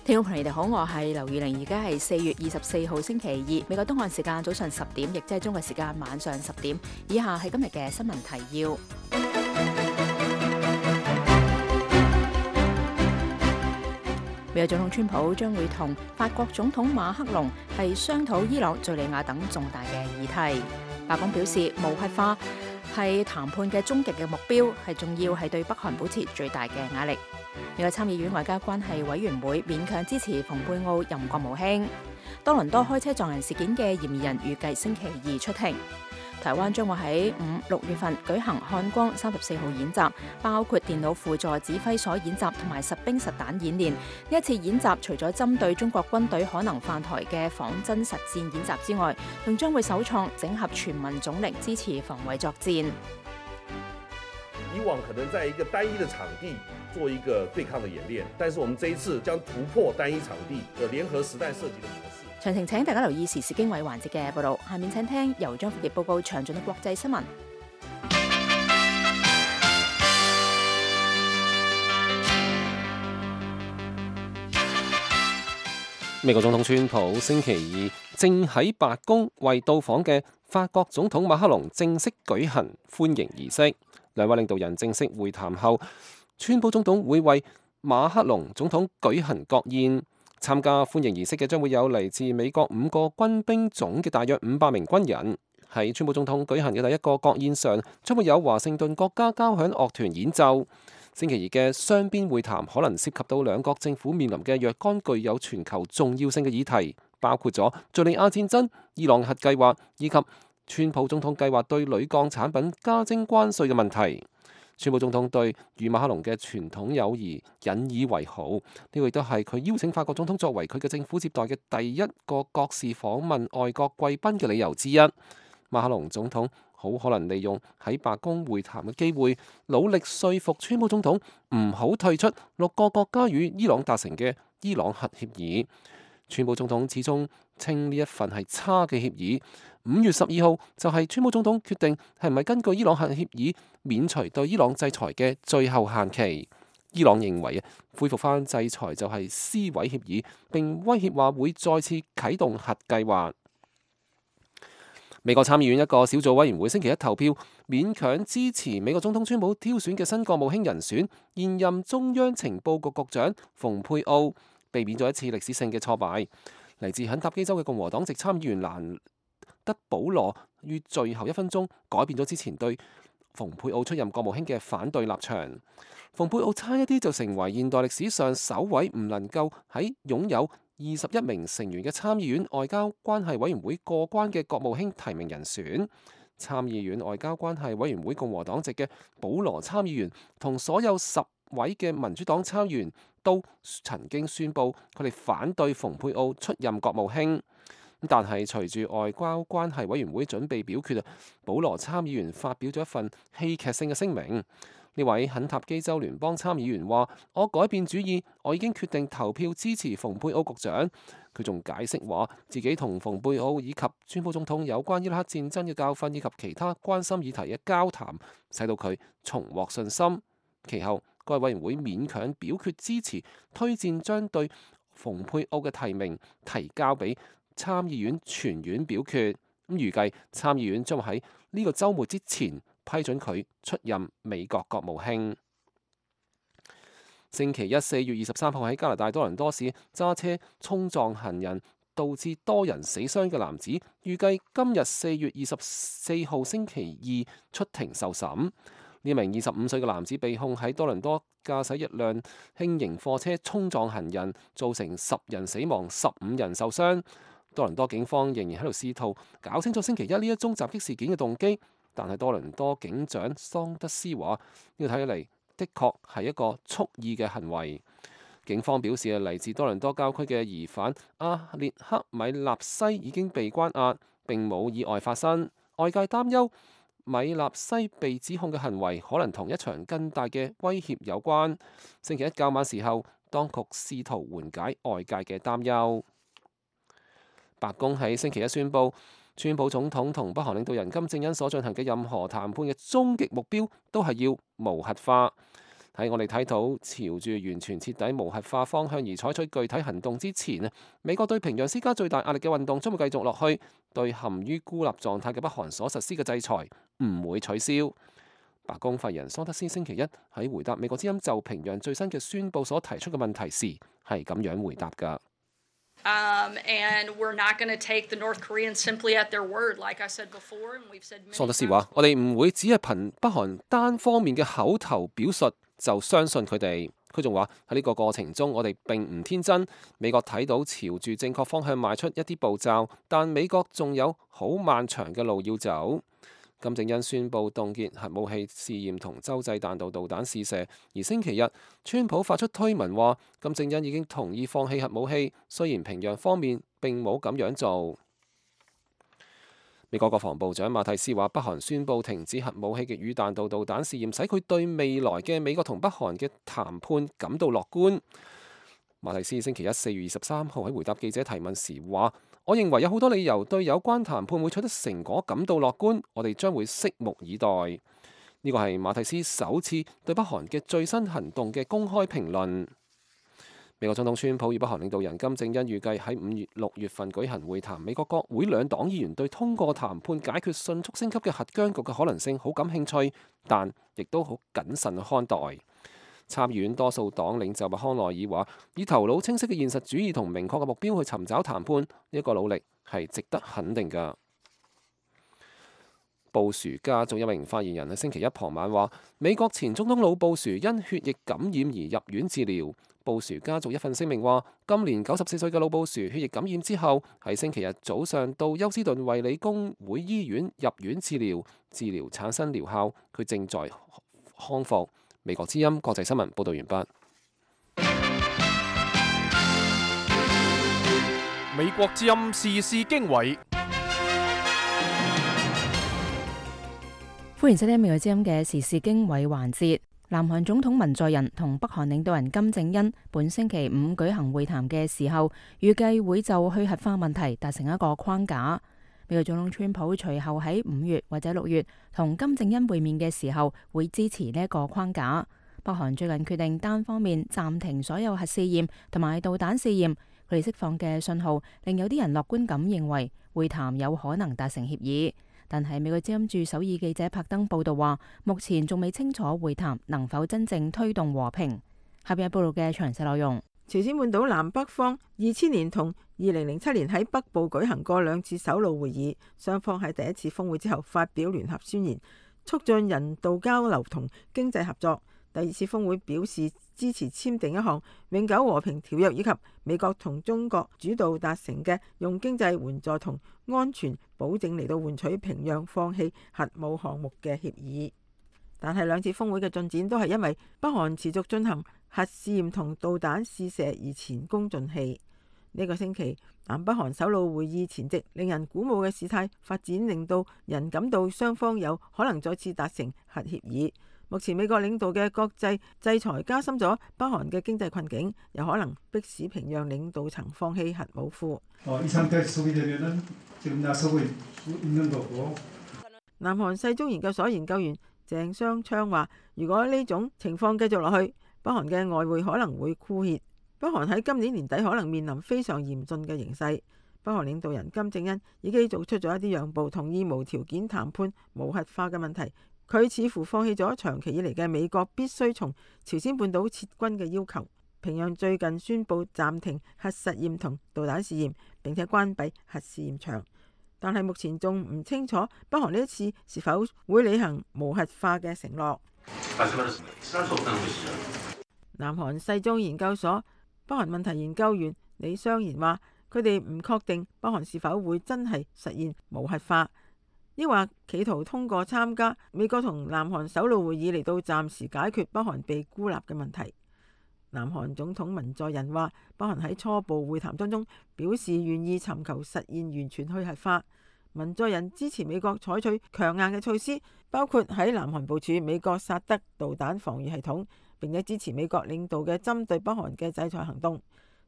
聽眾朋友，你哋好，我係劉宇玲，而家係4月24號星期二，美國東岸時間早上10點，亦即係中國時間晚上10點。以下係今日嘅新聞提要。美國總統川普將會同法國總統馬克龍係商討伊朗、敘利亞等重大嘅議題。白宮表示，無核化係談判嘅終極嘅目標，係重要係對北韓保持最大嘅壓力。美國參議院外交關係委員會勉強支持蓬佩奧任國務卿。多倫多開車撞人事件嘅嫌疑人預計星期二出庭。台灣將會喺5、6月份舉行漢光34號演習，包括電腦輔助指揮所演習同埋實兵實彈演練。呢一次演習除咗針對中國軍隊可能犯台嘅仿真實戰演習之外，仲將會首創整合全民總力支持防衛作戰。以往可能在一個單一的場地做一個對抗的演練，但是我們這一次將突破單一場地的聯合實彈射擊的模式。詳情請大家留意時事經緯環節嘅報導。下面請聽由張富傑報告詳盡嘅國際新聞。美國總統川普星期二正喺白宮為到訪嘅法國總統馬克龍正式舉行歡迎儀式。兩位領導人正式會談後，川普總統會為馬克龍總統舉行國宴。參加歡迎儀式嘅將會有嚟自美國5個軍兵種嘅大約500名軍人。喺川普總統舉行嘅第一個國宴上，將會有華盛頓國家交響樂團演奏。星期二嘅雙邊會談可能涉及到兩國政府面臨嘅若干具有全球重要性嘅議題，包括咗敘利亞戰爭、伊朗核計劃以及川普總統計劃對鋁鋼產品加徵關稅嘅問題。川普總統對與馬克龍嘅傳統友誼引以為豪，呢個亦都係佢邀請法國總統作為佢嘅政府接待嘅第一個國事訪問外國貴賓嘅理由之一。馬克龍總統好可能利用喺白宮會談嘅機會，努力說服川普總統唔好退出6個國家與伊朗達成嘅伊朗核協議。川普總統始終稱呢一份係差嘅協議。5月12號就係川普總統決定係唔係根據伊朗核協議免除對伊朗制裁嘅最後限期。伊朗認為恢復翻制裁就係撕毀協議，並威脅話會再次啟動核計劃。美國參議院一個小組委員會星期一投票，勉強支持美國總統川普挑選嘅新國務卿人選，現任中央情報局局長蓬佩奧，避免咗一次歷史性嘅挫敗。嚟自肯塔基州嘅共和黨籍參議員蘭德保羅於最後1分鐘改變咗之前對蓬佩奧出任國務卿嘅反對立場。蓬佩奧差一啲就成為現代歷史上首位唔能夠喺擁有21名成員嘅參議院外交關係委員會過關嘅國務卿提名人選。參議院外交關係委員會共和黨籍嘅保羅參議員同所有10位嘅民主黨參議員都曾經宣布佢哋反對蓬佩奧出任國務卿。但係隨住外交關係委員會準備表決，保羅參議員發表咗一份戲劇性嘅聲明。呢位肯塔基州聯邦參議員話：我改變主意，我已經決定投票支持蓬佩奧局長。佢仲解釋話，自己同蓬佩奧以及川普總統有關伊拉克戰爭嘅教訓以及其他關心議題嘅交談，使到佢重獲信心。其後，該委員會勉強表決支持推薦將對蓬佩奧嘅提名提交俾參議院全院表決。預計參議院將會喺呢個週末之前批准佢出任美國國務卿。星期一4月23號喺加拿大多倫多市揸車衝撞行人，導致多人死傷嘅男子，預計今日4月24號星期二出庭受審。呢名25歲嘅男子被控喺多倫多駕駛一輛輕型貨車衝撞行人，造成10人死亡、15人受傷。多倫多警方仍然喺度試圖搞清楚星期一呢一宗襲擊事件嘅動機，但係多倫多警長桑德斯話：呢個睇起嚟的確係一個蓄意嘅行為。警方表示，嚟自多倫多郊區嘅疑犯阿列克米納西已經被關押，並冇意外發生。外界擔憂米納西被指控嘅行為可能同一場更大嘅威脅有關。星期一較晚時候，當局試圖緩解外界嘅擔憂。白宮喺星期一宣布，川普總統同北韓領導人金正恩所進行嘅任何談判嘅終極目標都係要無核化。喺我哋睇到朝住完全徹底無核化方向而採取具體行動之前，美國對平壤施加最大壓力嘅運動將會繼續落去，對陷於孤立狀態嘅北韓所實施嘅制裁唔會取消。白宮發言人桑德斯星期一喺回答美國之音就平壤最新嘅宣佈所提出嘅問題時係咁樣回答㗎。桑德斯話：我哋唔會只係憑北韓單方面嘅口頭表述就相信佢哋。佢仲話喺呢個過程中，我哋並唔天真。美國睇到朝住正確方向邁出一啲步驟，但美國仲有好漫長嘅路要走。金正恩宣布凍結核武器試驗同洲際彈道導彈試射，而星期日，川普發出推文話金正恩已經同意放棄核武器，雖然平壤方面並冇咁樣做。美國國防部長馬蒂斯話，北韓宣布停止核武器嘅與彈道導彈試驗，使佢對未來嘅美國同北韓嘅談判感到樂觀。馬蒂斯星期一4月23號喺回答記者提問時話：我認為有好多理由對有關談判會取得成果感到樂觀，我哋將會拭目以待。呢個係馬蒂斯首次對北韓嘅最新行動嘅公開評論。美國總統川普與北韓領導人金正恩預計喺6月份舉行會談。美國國會兩黨議員對通過談判解決迅速升級嘅核僵局嘅可能性好感興趣，但亦都好謹慎去看待。參議院多數黨領袖麥康奈爾話：以頭腦清晰嘅現實主義同明確嘅目標去尋找談判，呢個努力係值得肯定㗎。布殊家族一名發言人喺星期一傍晚話：美國前總統老布殊因血液感染而入院治療。布殊家族一份聲明話：今年94歲嘅老布殊血液感染之後，喺星期日早上到休斯頓衛理公會醫院入院治療，治療產生療效，佢正在康復。美國之音國際新聞報道完畢。美國之音時事經緯，歡迎收聽美國之音嘅時事經緯環節。南韓總統文在寅同北韓領導人金正恩本星期五舉行會談嘅時候，預計會就去核化問題達成一個框架。美國總統川普隨後喺5月或者6月同金正恩會面嘅時候，會支持呢一個框架。北韓最近決定單方面暫停所有核試驗同埋導彈試驗，佢哋釋放嘅信號令有啲人樂觀咁認為會談有可能達成協議。但係美國之音駐首爾記者柏登報道話，目前仲未清楚會談能否真正推動和平。下邊係報道嘅詳細內容。朝鮮半島南北方2000年同2007年喺北部舉行過2次首腦會議，雙方喺第一次峰會之後發表聯合宣言，促進人道交流同經濟合作。第2次峰會表示支持簽訂一項永久和平條約，以及美國同中國主導達成嘅用經濟援助同安全保證嚟到換取平壤放棄核武項目嘅協議。但係2次峰會嘅進展都係因為北韓持續進行核試驗同導彈試射而前功盡棄。呢個星期南北韓首腦會議前夕，令人鼓舞嘅事態發展，令到人感到雙方有可能再次達成核協議。目前美國領導嘅國際制裁加深咗北韓嘅經濟困境，有可能迫使平壤領導層放棄核武庫。南韓世宗研究所研究員鄭雙昌話：如果呢種情況繼續落去，北韓嘅外匯可能會枯竭。北韓喺今年年底可能面臨非常嚴峻嘅形勢。北韓領導人金正恩已經做出咗一啲讓步，同意無條件談判無核化嘅問題。佢似乎放棄咗長期以嚟嘅美國必須從朝鮮半島撤軍嘅要求。平壤最近宣布暫停核實驗同導彈試驗，並且關閉核試驗場，但係目前仲唔清楚北韓呢一次是否會履行無核化嘅承諾。南韓世宗研究所北韓問題研究員李相賢話：佢哋唔確定北韓是否會真係實現無核化，抑或企圖通過參加美國同南韓首腦會議嚟到暫時解決北韓被孤立嘅問題。南韓總統文在寅話：北韓喺初步會談當中表示願意尋求實現完全去核化。文在寅支持美國採取強硬嘅措施，包括喺南韓部署美國薩德導彈防禦系統，並且支持美國領導嘅針對北韓嘅制裁行動。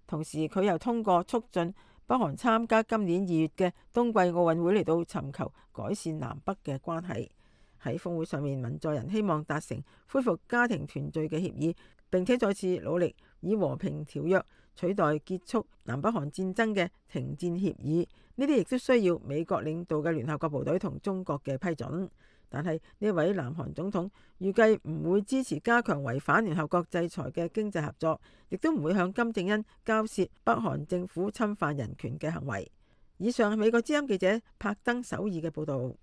同時，佢又通過促進北韓參加今年2月嘅冬季奧運會嚟到尋求改善南北嘅關係。喺峰會上面，文在寅希望達成恢復家庭團聚嘅協議，並且再次努力以和平條約取代結束南北韓戰爭嘅停戰協議。呢啲亦都需要美國領導嘅聯合國部隊同中國嘅批准。但係呢位南韓總統預計唔會支持加強違反聯合國制裁嘅經濟合作，亦都唔會向金正恩交涉北韓政府侵犯人權嘅行為。以上係美國之音記者柏登首爾嘅報導。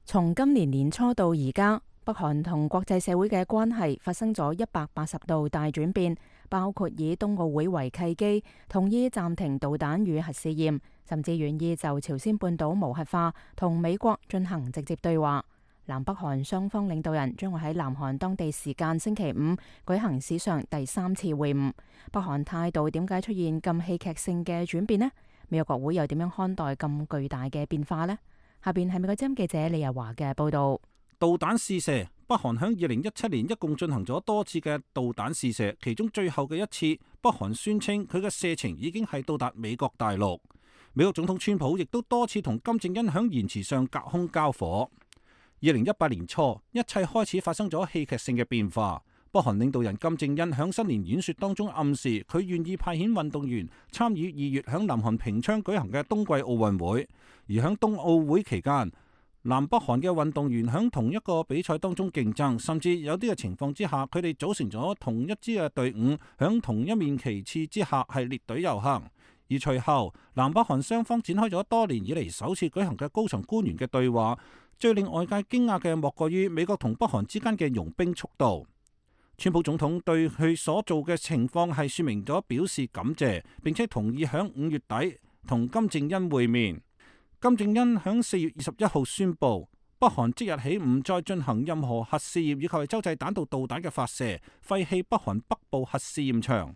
從今年年初到而家，北韓同國際社會嘅關係發生咗180度大轉變，包括以冬奧會為契機，同意暫停導彈與核試驗，甚至願意就朝鮮半島無核化同美國進行直接對話。南北韓雙方領導人將會喺南韓當地時間星期五舉行史上第3次會晤。北韓態度點解出現咁戲劇性嘅轉變呢？美國國會又點樣看待咁巨大嘅變化呢？下邊係美國之音記者李日華嘅報道。導彈試射，北韓響2017年一共進行咗多次嘅導彈試射，其中最後嘅一次，北韓宣稱佢嘅射程已經係到達美國大陸。美國總統川普亦都多次同金正恩響言辭上隔空交火。2018年初，一切開始發生咗戲劇性嘅變化。北韓領導人金正恩響新年演說當中暗示，佢願意派遣運動員參與2月響南韓平昌舉行嘅冬季奧運會。而響冬奧會期間，南北韓嘅運動員響同一個比賽當中競爭，甚至有啲嘅情況之下，佢哋組成咗同一支嘅隊伍，響同一面旗幟之下係列隊遊行。而隨後，南北韓雙方展開咗多年以嚟首次舉行嘅高層官員嘅對話。最令外界驚訝嘅莫過於美國同北韓之間嘅融冰速度。川普總統對佢所做嘅情況係說明咗表示感謝，並且同意響5月底同金正恩會面。金正恩響4月21號宣布，北韓即日起唔再進行任何核試驗以及係洲際彈道導彈嘅發射，廢棄北韓北部核試驗場。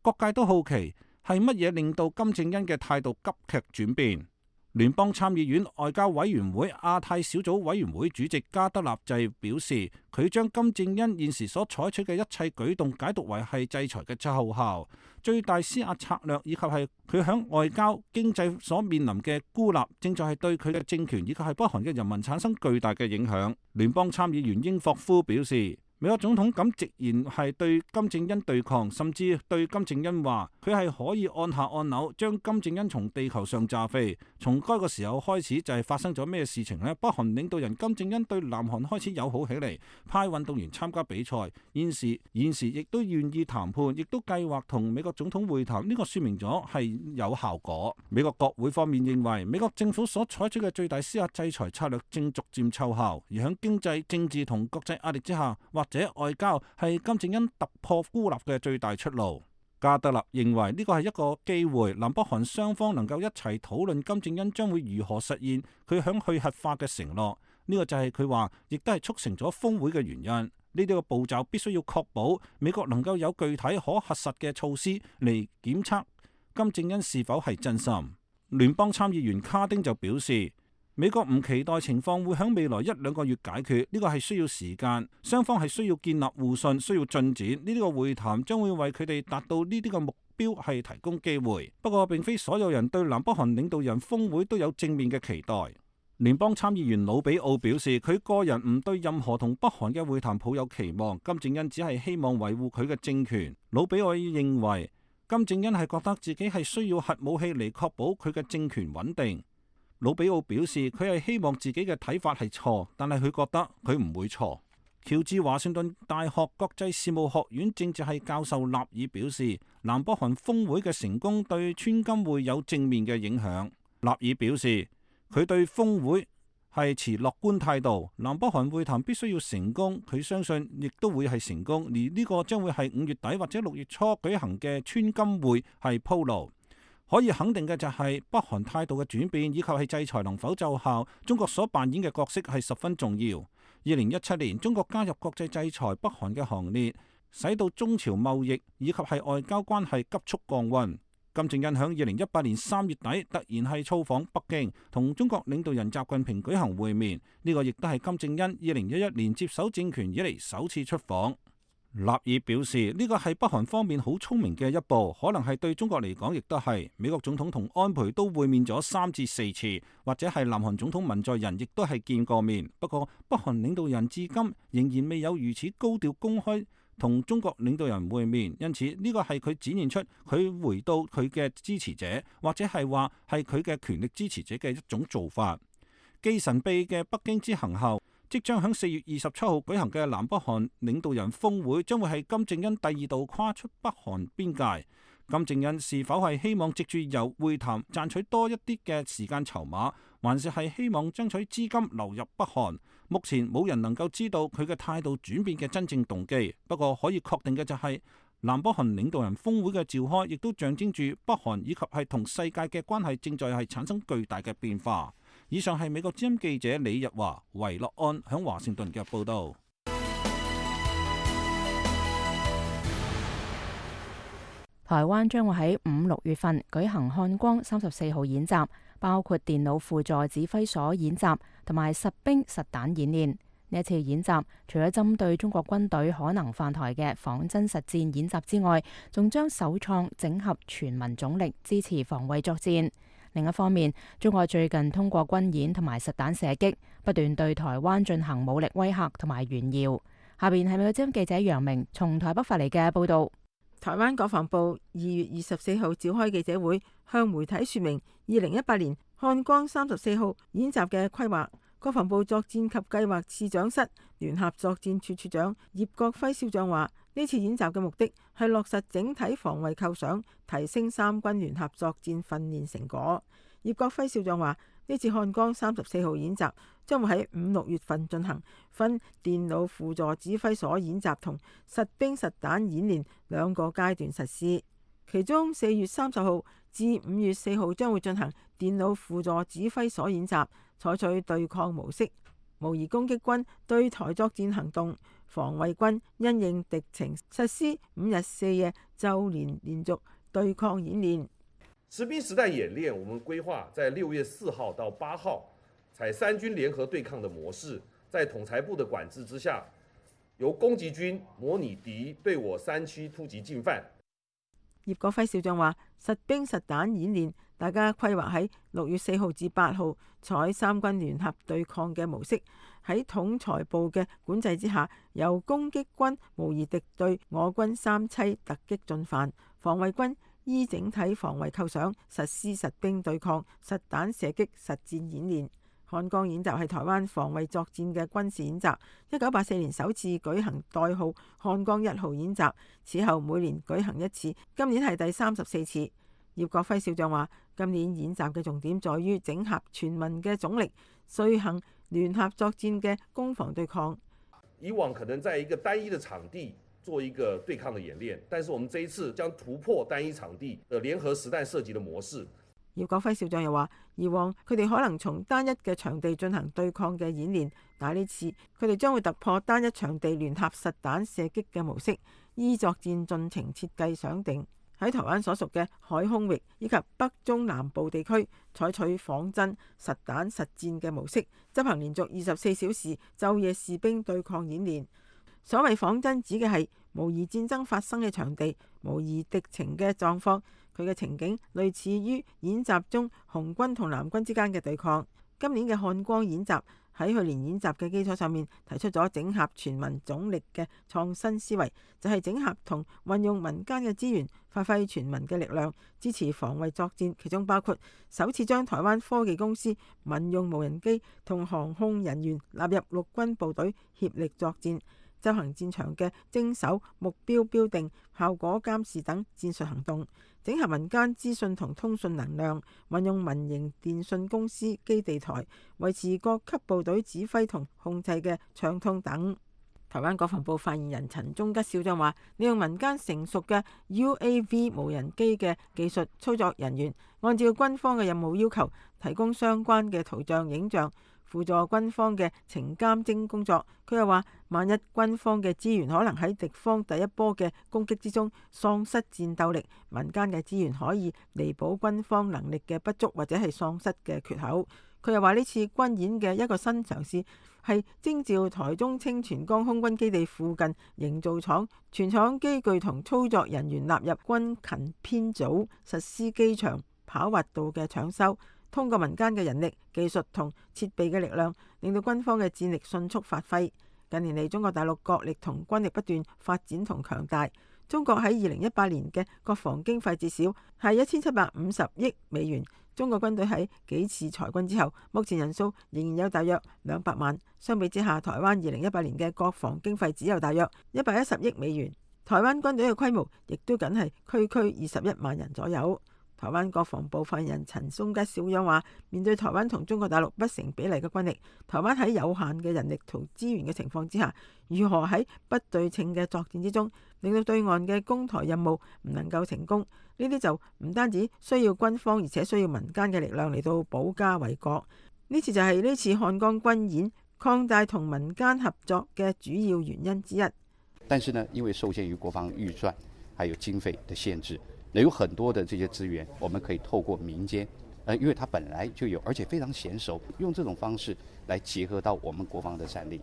各界都好奇係乜嘢令到金正恩嘅態度急劇轉變。聯邦參議院外交委員會亞太小組委員會主席加德納就表示，佢將金正恩現時所採取嘅一切舉動解讀為係制裁嘅奏效、最大施壓策略，以及係佢響外交、經濟所面臨嘅孤立，正在係對佢嘅政權以及係北韓嘅人民產生巨大嘅影響。聯邦參議員英霍夫表示，美國總統咁直言係對金正恩對抗，甚至對金正恩話佢係可以按下按鈕將金正恩從地球上炸飛。從該個時候開始就係發生咗咩事情呢？北韓領導人金正恩對南韓開始友好起嚟，派運動員參加比賽，現時亦都願意談判，亦都計劃同美國總統會談。呢個說明咗係有效果。美國國會方面認為，美國政府所採取嘅最大施壓制裁策略正逐漸奏效，而喺經濟、政治同國際壓力之下，或者外交係金正恩突破孤立嘅最大出路。加德納認為呢個係一個機會，南北韓雙方能夠一齊討論金正恩將會如何實現佢響去核化嘅承諾。呢個就係佢話，亦都係促成咗峰會嘅原因。呢啲個步驟必須要確保美國能夠有具體可核實嘅措施嚟檢測金正恩是否係真心。聯邦參議員卡丁就表示，美國唔期待情況會喺未來1-2個月解決，呢個係需要時間，雙方係需要建立互信，需要進展。呢啲個會談將會為佢哋達到呢啲個目標係提供機會。不過並非所有人對南北韓領導人峰會都有正面嘅期待。聯邦參議員魯比奧表示，佢個人唔對任何同北韓嘅會談抱有期望，金正恩只係希望維護佢嘅政權。魯比奧認為金正恩係覺得自己係需要核武器嚟確保佢嘅政權穩定。魯比奧表示，佢係希望自己嘅睇法係錯，但係佢覺得佢唔會錯。喬治華盛頓大學國際事務學院政治系教授納爾表示，南北韓峰會嘅成功對川金會有正面嘅影響。納爾表示，佢對峰會係持樂觀態度，南北韓會談必須要成功，佢相信亦都會係成功，而呢個將會係5月底或者6月初舉行嘅川金會係鋪路。可以肯定嘅就係北韓態度嘅轉變，以及係制裁能否奏效，中國所扮演嘅角色係十分重要。2017年，中國加入國際制裁北韓嘅行列，使到中朝貿易以及係外交關係急速降溫。金正恩響2018年3月底突然係造訪北京，同中國領導人習近平舉行會面，呢個亦都係金正恩2011年接手政權以嚟首次出訪。納爾表示，呢個係北韓方面好聰明嘅一步，可能係對中國嚟講亦都係。美國總統同安倍都會面咗3至4次，或者係南韓總統文在寅亦都係見過面。不過北韓領導人至今仍然未有如此高調公開同中國領導人會面，因此呢個係佢展現出佢回到佢嘅支持者，或者係話係佢嘅權力支持者嘅一種做法。繼神秘嘅北京之行後，即將喺4月27號舉行嘅南北韓領導人峰會，將會係金正恩第2度跨出北韓邊界。金正恩是否係希望藉住由會談賺取多一啲嘅時間籌碼，還是係希望爭取資金流入北韓？目前冇人能夠知道佢嘅態度轉變嘅真正動機。不過可以確定嘅就係，南北韓領導人峰會嘅召開，亦都象徵住北韓以及係同世界嘅關係正在係產生巨大嘅變化。以上係美國之音記者李日華、維樂安響華盛頓嘅報道。台灣將會喺5、6月份舉行漢光34號演習，包括電腦輔助指揮所演習同埋實兵實彈演練。呢一次演習除咗針對中國軍隊可能犯台嘅仿真實戰演習之外，仲將首創整合全民總力支持防衛作戰。另一方面，中國最近通過軍演同埋實彈射擊，不斷對台灣進行武力威嚇同埋炫耀。下邊係美國之音記者楊明從台北發嚟嘅報導。台灣國防部2月24號召開記者會，向媒體說明2018年漢光34號演習嘅規劃。國防部作戰及計劃次長室聯合作戰處處長葉國輝少將話：呢次演習嘅目的係落實整體防衛構想，提升三軍聯合作戰訓練成果。葉國輝少將話：呢次漢光34號演習將會喺5、6月份進行，分電腦輔助指揮所演習同實兵實彈演練兩個階段實施。其中4月30號至5月4號將會進行電腦輔助指揮所演習，採取對抗模式，模擬攻擊軍對台作戰行動，防衛軍因應敵情實施5日4夜週連續對抗演練。實兵實彈演練，我們規劃在6月4號到8號，採三軍聯合對抗的模式，在統裁部的管制之下，由攻擊軍模擬敵對我山區突擊進犯。葉國輝少將話：實兵實彈演練，大家規劃喺6月4號至8號，採三軍聯合對抗嘅模式，喺統裁部嘅管制之下，由攻擊軍模擬敵對我軍三棲突擊進犯，防衛軍依整體防衛構想實施實兵對抗、實彈射擊實戰演練。漢光演習係台灣防衛作戰嘅軍事演習，1984年首次舉行代號漢光1號演習，此後每年舉行一次，今年係第34次。葉國輝少將話：今年演習嘅重點在於整合全民嘅總力，遂行聯合作戰嘅攻防對抗。以往可能在一個單一的場地做一個對抗的演練，但是我們這一次將突破單一場地的聯合實彈射擊的模式。葉國輝少將又話：以往佢哋可能從單一嘅場地進行對抗嘅演練，但係呢次佢哋將會突破單一場地聯合實彈射擊嘅模式，依作戰進程設計想定，喺台灣所屬嘅海空域以及北中南部地區採取仿真實彈實戰嘅模式，執行連續24小時晝夜士兵對抗演練。所謂仿真指嘅係模擬戰爭發生嘅場地，模擬敵情嘅狀況，佢嘅情景類似於演習中紅軍同藍軍之間嘅對抗。今年嘅漢光演習喺去年演習嘅基礎上面提出咗整合全民總力嘅創新思維，就係整合同運用民間嘅資源，發揮全民嘅力量，支持防衛作戰。其中包括首次將台灣科技公司民用無人機同航空人員納入陸軍部隊協力作戰，執行戰場嘅偵搜、目標標定、效果監視等戰術行動，整合民間資訊同通訊能量，運用民營電信公司基地台，維持各級部隊指揮同控制嘅暢通等。台灣國防部發言人陳忠吉少將話：利用民間成熟嘅 UAV 無人機嘅技術操作人員，按照軍方嘅任務要求，提供相關嘅圖像、影像，輔助軍方嘅情監偵工作。佢又話：萬一軍方嘅資源可能喺敵方第一波嘅攻擊之中喪失戰鬥力，民間嘅資源可以彌補軍方能力嘅不足或者係喪失嘅缺口。佢又話呢次軍演嘅一個新嘗試係徵召台中清泉崗空軍基地附近營造廠全廠機具同操作人員納入軍勤編組，實施機場跑滑道嘅搶修，通過民間嘅人力、技術同設備嘅力量，令到軍方嘅戰力迅速發揮。近年嚟，中國大陸國力同軍力不斷發展同強大。中國喺2018年嘅國防經費至少係1750億美元。中國軍隊喺幾次裁軍之後，目前人數仍然有大約200萬。相比之下，台灣2018年嘅國防經費只有大約110億美元。台灣軍隊嘅規模亦都僅係區21萬人左右。台灣國防部發言人陳松吉小樣話：面對台灣同中國大陸不成比例嘅軍力，台灣喺有限嘅人力同資源嘅情況之下，如何喺不對稱嘅作戰之中，令到對岸嘅攻台任務唔能夠成功？呢啲就唔單止需要軍方，而且需要民間嘅力量嚟到保家衛國。呢次就係呢次漢江軍演擴大同民間合作嘅主要原因之一。但是呢，因為受限於國防預算還有經費的限制，有很多的這些資源，我們可以透過民間，因為它本來就有，而且非常嫻熟，用這種方式來結合到我們國防的戰力。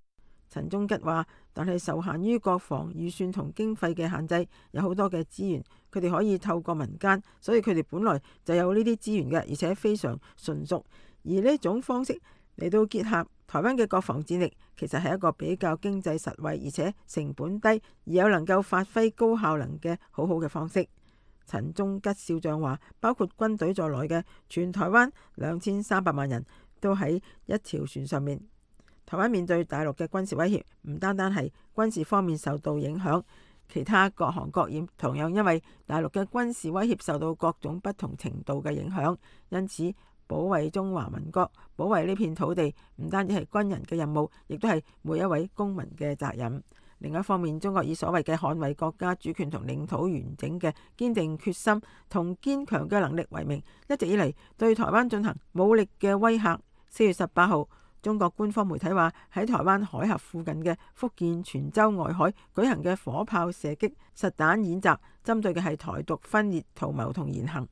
陳忠吉話：但係受限於國防預算同經費嘅限制，有好多嘅資源，佢哋可以透過民間，所以佢哋本來就有呢啲資源嘅，而且非常純熟。而呢種方式嚟到結合台灣嘅國防戰力，其實係一個比較經濟實惠，而且成本低，而有能夠發揮高效能嘅好嘅方式。陳忠吉少將話：包括軍隊在內嘅全台灣2300萬人都喺一條船上面。台灣面對大陸嘅軍事威脅，唔單單係軍事方面受到影響，其他各行各業同樣因為大陸嘅軍事威脅受到各種不同程度嘅影響。因此，保衛中華民國、保衛呢片土地，唔單止係軍人嘅任務，亦都係每一位公民嘅責任。另一方面，中國以所謂嘅捍衛國家主權同領土完整嘅堅定決心同堅強嘅能力為名，一直以嚟對台灣進行武力嘅威嚇。4月18號，中國官方媒體話喺台灣海峽附近嘅福建泉州外海舉行嘅火炮射擊實彈演習，針對嘅係台獨分裂圖謀同言行。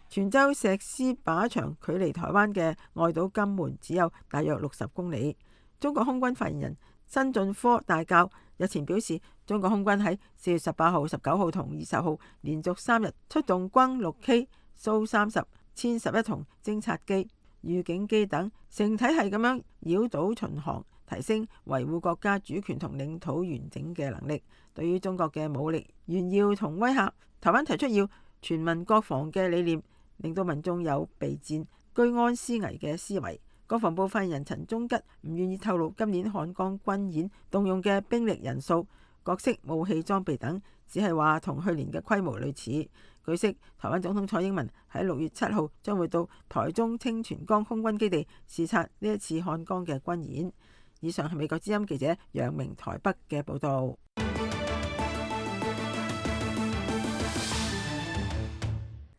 泉州石獅靶場距離台灣嘅外島金門只有大約60公里。中國空軍發言人辛進科大校日前表示，中國空軍喺4月18號、19號同20號連續3日出動轟 6K、蘇30、殲11同偵察機、預警機等，成體系咁樣繞島巡航，提升維護國家主權同領土完整嘅能力。對於中國嘅武力炫耀同威嚇，台灣提出要全民國防嘅理念，令到民眾有備戰、居安思危嘅思維。國防部發言人陳忠吉唔願意透露今年漢江軍演動用嘅兵力人數、各式武器裝備等，只係話同去年嘅規模類似。據悉，台灣總統蔡英文喺6月7號將會到台中清泉崗空軍基地視察呢一次漢江嘅軍演。以上係美國之音記者楊明台北嘅報導。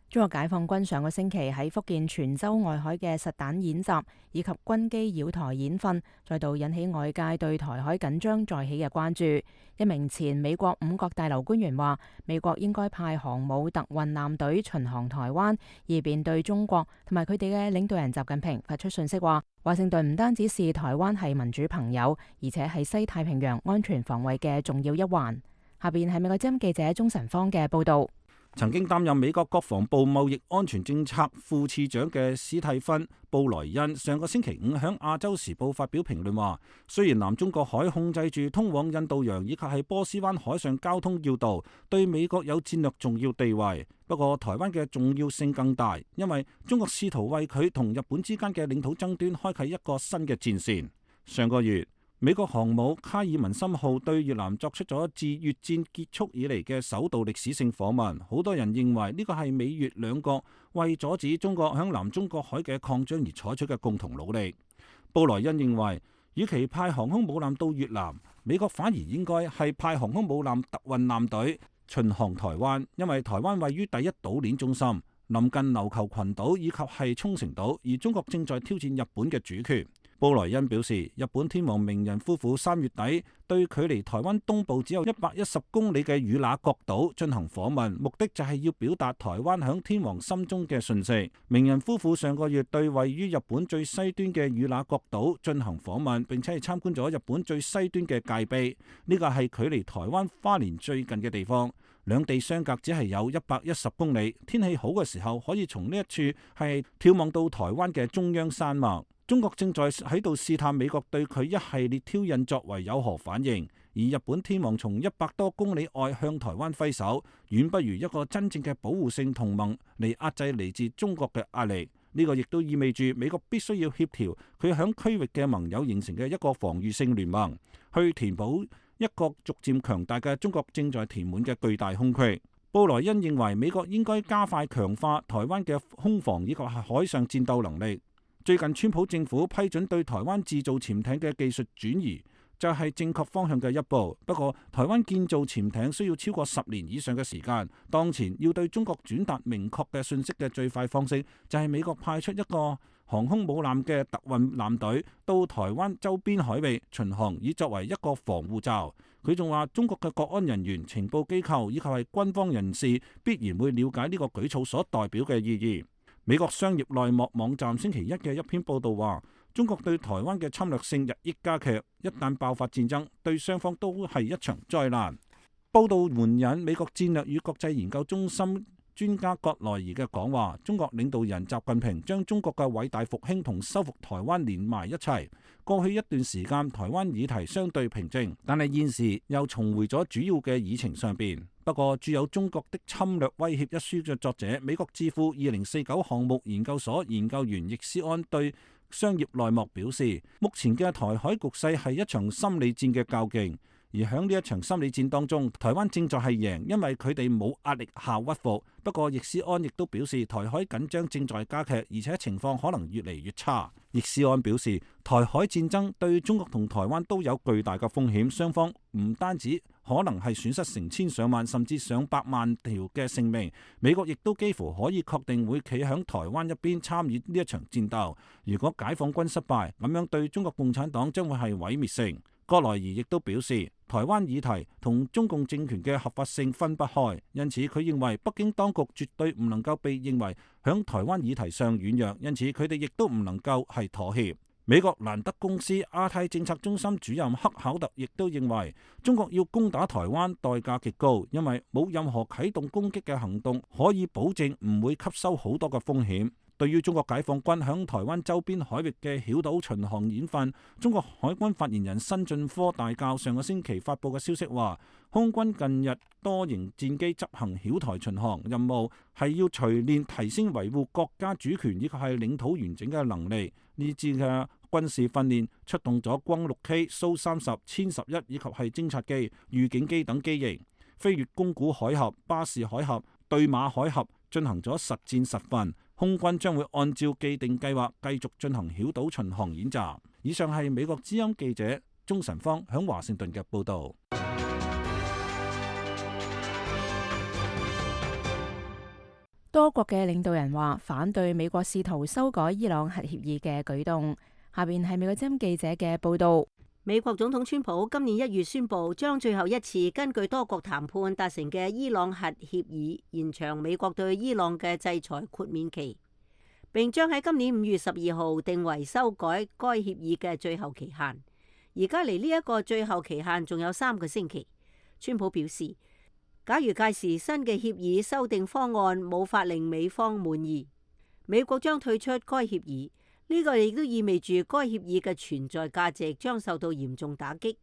中國解放軍上個星期喺福建泉州外海嘅實彈演習以及軍機繞台演訓，再度引起外界對台海緊張再起嘅關注。一名前美國五角大樓官員話，美國應該派航母特運艦隊巡航台灣，以便對中國同埋佢哋嘅領導人習近平發出訊息，話華盛頓唔單止視台灣係民主朋友，而且係西太平洋安全防衛嘅重要一環。下邊係美國之音記者鍾晨芳嘅報道。曾經擔任美國國防部貿易安全政策副次長嘅史蒂芬·布萊恩上個星期五喺亞洲時報發表評論話，雖然南中國海控制住通往印度洋以及係波斯灣海上交通要道，對美國有戰略重要地位，不過台灣嘅重要性更大，因為中國試圖為佢同日本之間嘅領土爭端開啟一個新嘅戰線。上個月，美國航母卡爾文森號對越南作出咗自越戰結束以嚟嘅首度歷史性訪問，好多人認為呢個係美越兩國為阻止中國響南中國海嘅擴張而採取嘅共同努力。布萊恩認為，與其派航空母艦到越南，美國反而應該係派航空母艦特運艦隊巡航台灣，因為台灣位於第一島鏈中心，臨近琉球群島以及係沖繩島，而中國正在挑戰日本嘅主權。布萊恩表示，日本天皇明仁夫婦3月底對距離台灣東部只有110公里嘅與那國島進行訪問，目的就係要表達台灣響天皇心中嘅訊息。明仁夫婦上個月對位於日本最西端嘅與那國島進行訪問，並且係參觀咗日本最西端嘅界碑，呢個係距離台灣花蓮最近嘅地方。兩地相隔只係有110公里，天氣好嘅時候可以從呢一處係眺望到台灣嘅中央山脈。中國正在喺度試探美國對佢一系列挑釁作為有何反應，而日本天皇從100多公里外向台灣揮手，遠不如一個真正嘅保護性同盟嚟壓制嚟自中國嘅壓力。呢個亦都意味住美國必須要協調佢響區域嘅盟友形成嘅一個防禦性聯盟，去填補一個逐漸強大嘅中國正在填滿嘅巨大空隙。布萊恩認為美國應該加快強化台灣嘅空防以及海上戰鬥能力。最近川普政府批准對台灣製造潛艇嘅技術轉移，就係正確方向嘅一步。不過，台灣建造潛艇需要超過10年以上嘅時間。當前要對中國轉達明確嘅訊息嘅最快方式，就係美國派出一個航空母艦嘅特運艦隊到台灣周邊海域巡航，以作為一個防護罩。佢仲話，中國嘅國安人員、情報機構以及係軍方人士必然會了解呢個舉措所代表嘅意義。美國商業內幕網站星期一嘅一篇報導話，中國對台灣嘅侵略性日益加劇，一旦爆發戰爭，對雙方都係一場災難。報導援引美國戰略與國際研究中心專家葛萊儀嘅講話，中國領導人習近平將中國嘅偉大復興同收復台灣連埋一齊。過去一段時間，台灣議題相對平靜，但係現時又重回咗主要嘅議程上邊。不過，著有《中國的侵略威脅》一書嘅作者、美國智庫2049項目研究所研究員易思安對商業內幕表示，目前嘅台海局勢係一場心理戰嘅較勁。而喺呢一場心理戰當中，台灣正在係贏，因為佢哋冇壓力下屈服。不過，易思安亦都表示，台海緊張正在加劇，而且情況可能越嚟越差。易思安表示，台海戰爭對中國同台灣都有巨大嘅風險，雙方唔單止可能係損失成千上萬甚至上百萬條嘅性命，美國亦都幾乎可以確定會企喺台灣一邊參與呢一場戰鬥。如果解放軍失敗，咁樣對中國共產黨將會係毀滅性。葛萊儀亦都表示，台灣議題同中共政權嘅合法性分不開，因此佢認為北京當局絕對唔能夠被認為響台灣議題上軟弱，因此佢哋亦都唔能夠係妥協。美國蘭德公司亞太政策中心主任克考特亦都認為，中國要攻打台灣代價極高，因為冇任何啟動攻擊嘅行動可以保證唔會吸收好多嘅風險。對於中國解放軍響台灣周邊海域嘅曉島巡航演訓，中國海軍發言人辛進科大校上個星期發布嘅消息話，空軍近日多型戰機執行曉台巡航任務，係要錘煉提升維護國家主權以及係領土完整嘅能力。呢次嘅軍事訓練出動咗轟 6K、蘇30、殲11以及係偵察機、預警機等機型，飛越宮古海峽、巴士海峽、對馬海峽，進行咗實戰實訓。空軍將會按照既定計劃繼續進行曉島巡航演習。以上係美國之音記者鍾晨芳響華盛頓嘅報導。多國嘅領導人話反對美國試圖修改伊朗核協議嘅舉動。下邊係美國之音記者嘅報導。美國總統川普今年1月宣布，將最後一次根據多國談判達成嘅伊朗核協議延長美國對伊朗嘅制裁豁免期，並將喺今年5月12號定為修改該協議嘅最後期限。而家離呢一個最後期限仲有3個星期。川普表示，假如屆時新嘅協議修訂方案無法令美方滿意，美國將退出該協議。呢個亦都意味住該協議嘅存在價值將受到嚴重打擊。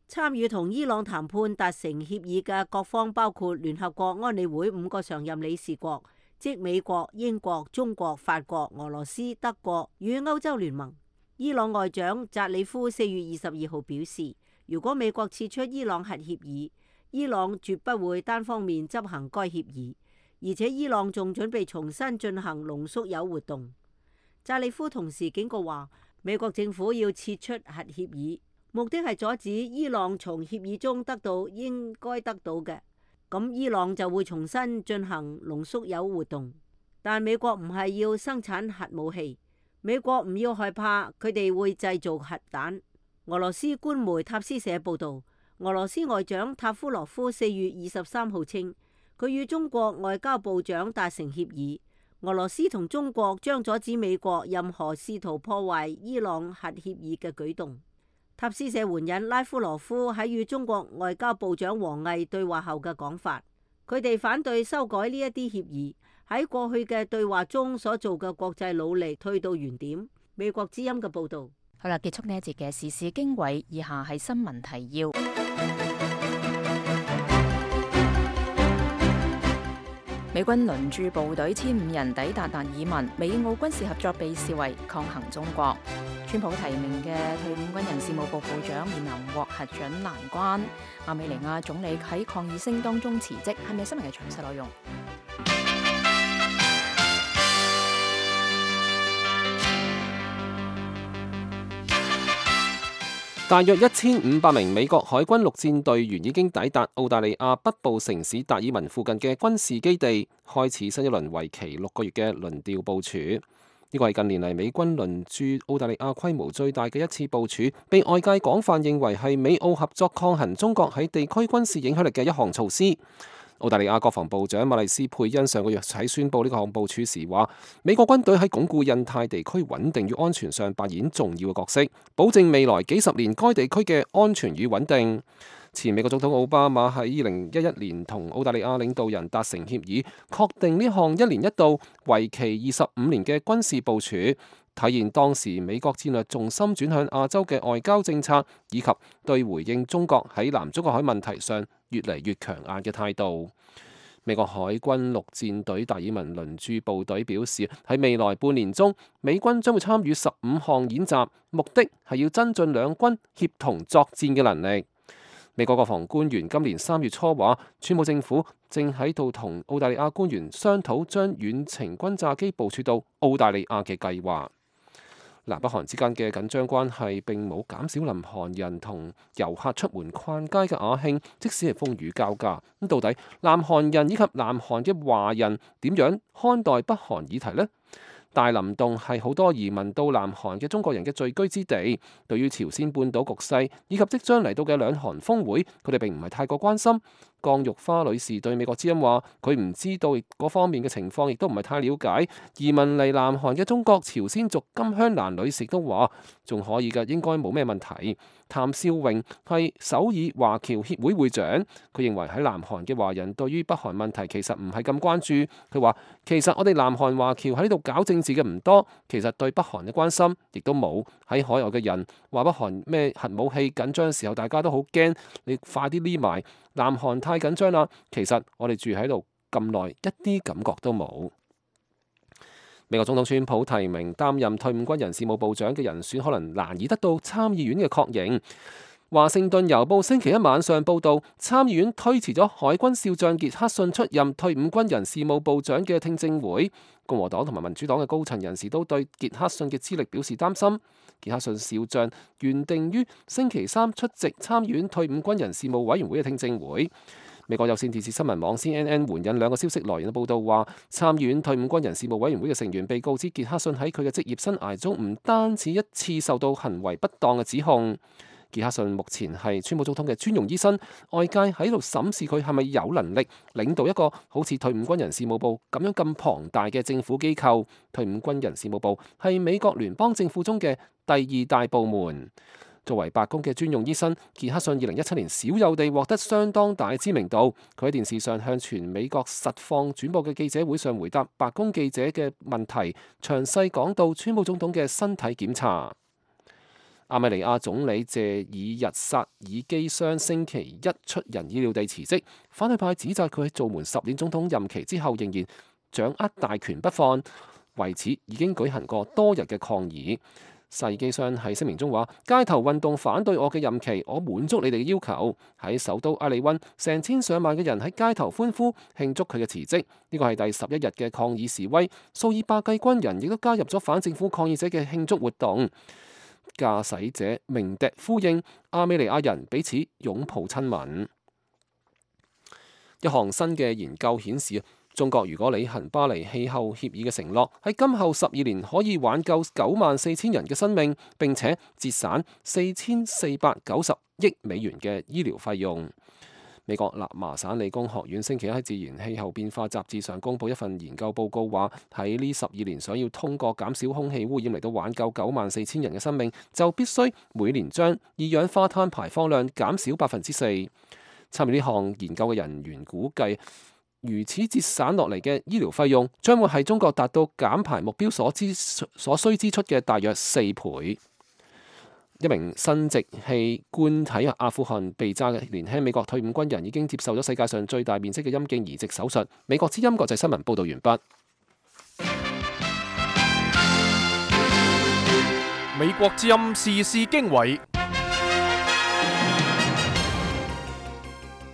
參與同伊朗談判達成協議嘅各方包括聯合國安理會5個常任理事國，即美國、英國、中國、法國、俄羅斯、德國與歐洲聯盟。伊朗外長扎里夫4月22號表示，如果美國撤出伊朗核協議，伊朗絕不會單方面執行該協議，而且伊朗仲準備重新進行濃縮鈾活動。扎里夫同時警告話，美國政府要撤出核協議，目的係阻止伊朗從協議中得到應該得到嘅，咁伊朗就會重新進行濃縮鈾活動。但美國唔係要生產核武器，美國唔要害怕，佢哋會製造核彈。俄羅斯官媒塔斯社報導，俄羅斯外長塔夫羅夫4月23號稱，佢與中國外交部長達成協議，俄羅斯同中國將阻止美國任何試圖破壞伊朗核協議嘅舉動。塔斯社援引拉夫羅夫喺與中國外交部長王毅對話後嘅講法，佢哋反對修改呢一啲協議，喺過去嘅對話中所做嘅國際努力退到原點。美國之音嘅報導。好啦，結束呢一節嘅時事經緯，以下係新聞提要。美軍輪駐部隊1500人抵達達爾文，美澳軍事合作被視為抗衡中國。川普提名嘅退伍軍人事務部部長面臨獲核准難關。亞美尼亞總理喺抗議聲當中辭職，係咪新聞嘅詳細內容？大約1500名美國海軍陸戰隊員已經抵達澳大利亞北部城市達爾文附近嘅軍事基地，開始新一輪為期6個月嘅輪調部署。呢個係近年嚟美軍輪駐澳大利亞規模最大嘅一次部署，被外界廣泛認為係美澳合作抗衡中國喺地區軍事影響力嘅一項措施。澳大利亞國防部長馬麗斯佩恩上個月喺宣布呢個項部署時話，美國軍隊喺鞏固印太地區穩定與安全上扮演重要嘅角色，保證未來幾十年該地區嘅安全與穩定。前美國總統奧巴馬喺2011年同澳大利亞領導人達成協議，確定呢項1年1度、為期25年嘅軍事部署，體現當時美國戰略重心轉向亞洲嘅外交政策，以及對回應中國喺南中國海問題上越嚟越強硬嘅態度。美國海軍陸戰隊達爾文輪駐部隊表示，喺未來半年中，美軍將會參與15項演習，目的係要增進兩軍協同作戰嘅能力。美國國防官員今年3月初話，川普政府正喺度同澳大利亞官員商討將遠程轟炸機部署到澳大利亞嘅計劃。南北韓之間嘅緊張關係並冇減少南韓人同遊客出門逛街嘅雅興，即使係風雨交加。咁到底南韓人以及南韓嘅華人點樣看待北韓議題呢？大林洞係好多移民到南韓嘅中國人嘅聚居之地，對於朝鮮半島局勢以及即將嚟到嘅兩韓峰會，佢哋並唔係太過關心。江玉花女士對美國之音話，佢唔知道嗰方面嘅情況，亦都唔係太了解。移民嚟南韓嘅中國朝鮮族金香蘭女士都話，仲可以㗎，應該冇咩問題。譚少榮係首爾華僑協會會長，佢認為喺南韓嘅華人對於北韓問題其實唔係咁關注。佢話其實我哋南韓華僑喺呢度搞政治嘅唔多，其實對北韓嘅關心亦都冇。喺海外嘅人話北韓咩核武器緊張嘅時候，大家都好驚，你快啲匿埋。南韓太緊張啦，其實我哋住喺度咁耐，一啲感覺都冇。美國總統川普提名擔任退伍軍人事務部長嘅人選，可能難以得到參議院嘅確認。華盛頓郵報星期一晚上報導，參議院推遲咗海軍少將傑克遜出任退伍軍人事務部長嘅聽證會。共和黨同埋民主黨嘅高層人士都對傑克遜嘅資歷表示擔心。傑克遜少將原定於星期三出席參議院退伍軍人事務委員會嘅聽證會。美國有線電視新聞網 CNN 援引2個消息來源嘅報導話，參議院退伍軍人事務委員會嘅成員被告知傑克遜喺佢嘅職業生涯中唔單止一次受到行為不當嘅指控。傑克遜目前係川普總統嘅專用醫生，外界喺度審視佢係咪有能力領導一個好似退伍軍人事務部咁樣咁龐大嘅政府機構。退伍軍人事務部係美國聯邦政府中嘅第2大部門。作為白宮嘅專用醫生，傑克遜2017年少有地獲得相當大知名度。佢喺電視上向全美國實況轉播嘅記者會上回答白宮記者嘅問題，詳細講到川普總統嘅身體檢查。亞美尼亞總理謝爾日薩爾基相星期一出人意料地辭職，反對派指責佢喺做滿10年總統任期之後仍然掌握大權不放，為此已經舉行過多日嘅抗議。薩爾基相喺聲明中話：街頭運動反對我嘅任期，我滿足你哋嘅要求。喺首都埃利溫，成千上萬嘅人喺街頭歡呼慶祝佢嘅辭職。呢個係第11日嘅抗議示威，數以百計軍人亦都加入咗反政府抗議者嘅慶祝活動。駕駛者鳴笛呼應，亞美尼亞人彼此擁抱親吻。一項新嘅研究顯示，中國如果履行巴黎氣候協議嘅承諾，喺今後12年可以挽救94,000人嘅生命，並且節省4490億美元嘅醫療費用。美國納麻省理工學院星期一喺《自然氣候變化》雜誌上公佈一份研究報告，話喺呢12年想要通過減少空氣污染嚟到挽救94,000人嘅生命，就必須每年將二氧化碳排放量減少4%。參與呢項研究嘅人員估計，如此節省落嚟嘅醫療費用，將會係中國達到減排目標所需支出嘅大約4倍。一名生殖器官體阿富汗被炸嘅年輕美國退伍軍人已經接受咗世界上最大面積嘅陰莖移植手術。美國之音國際新聞報導完畢。美國之音時事經緯，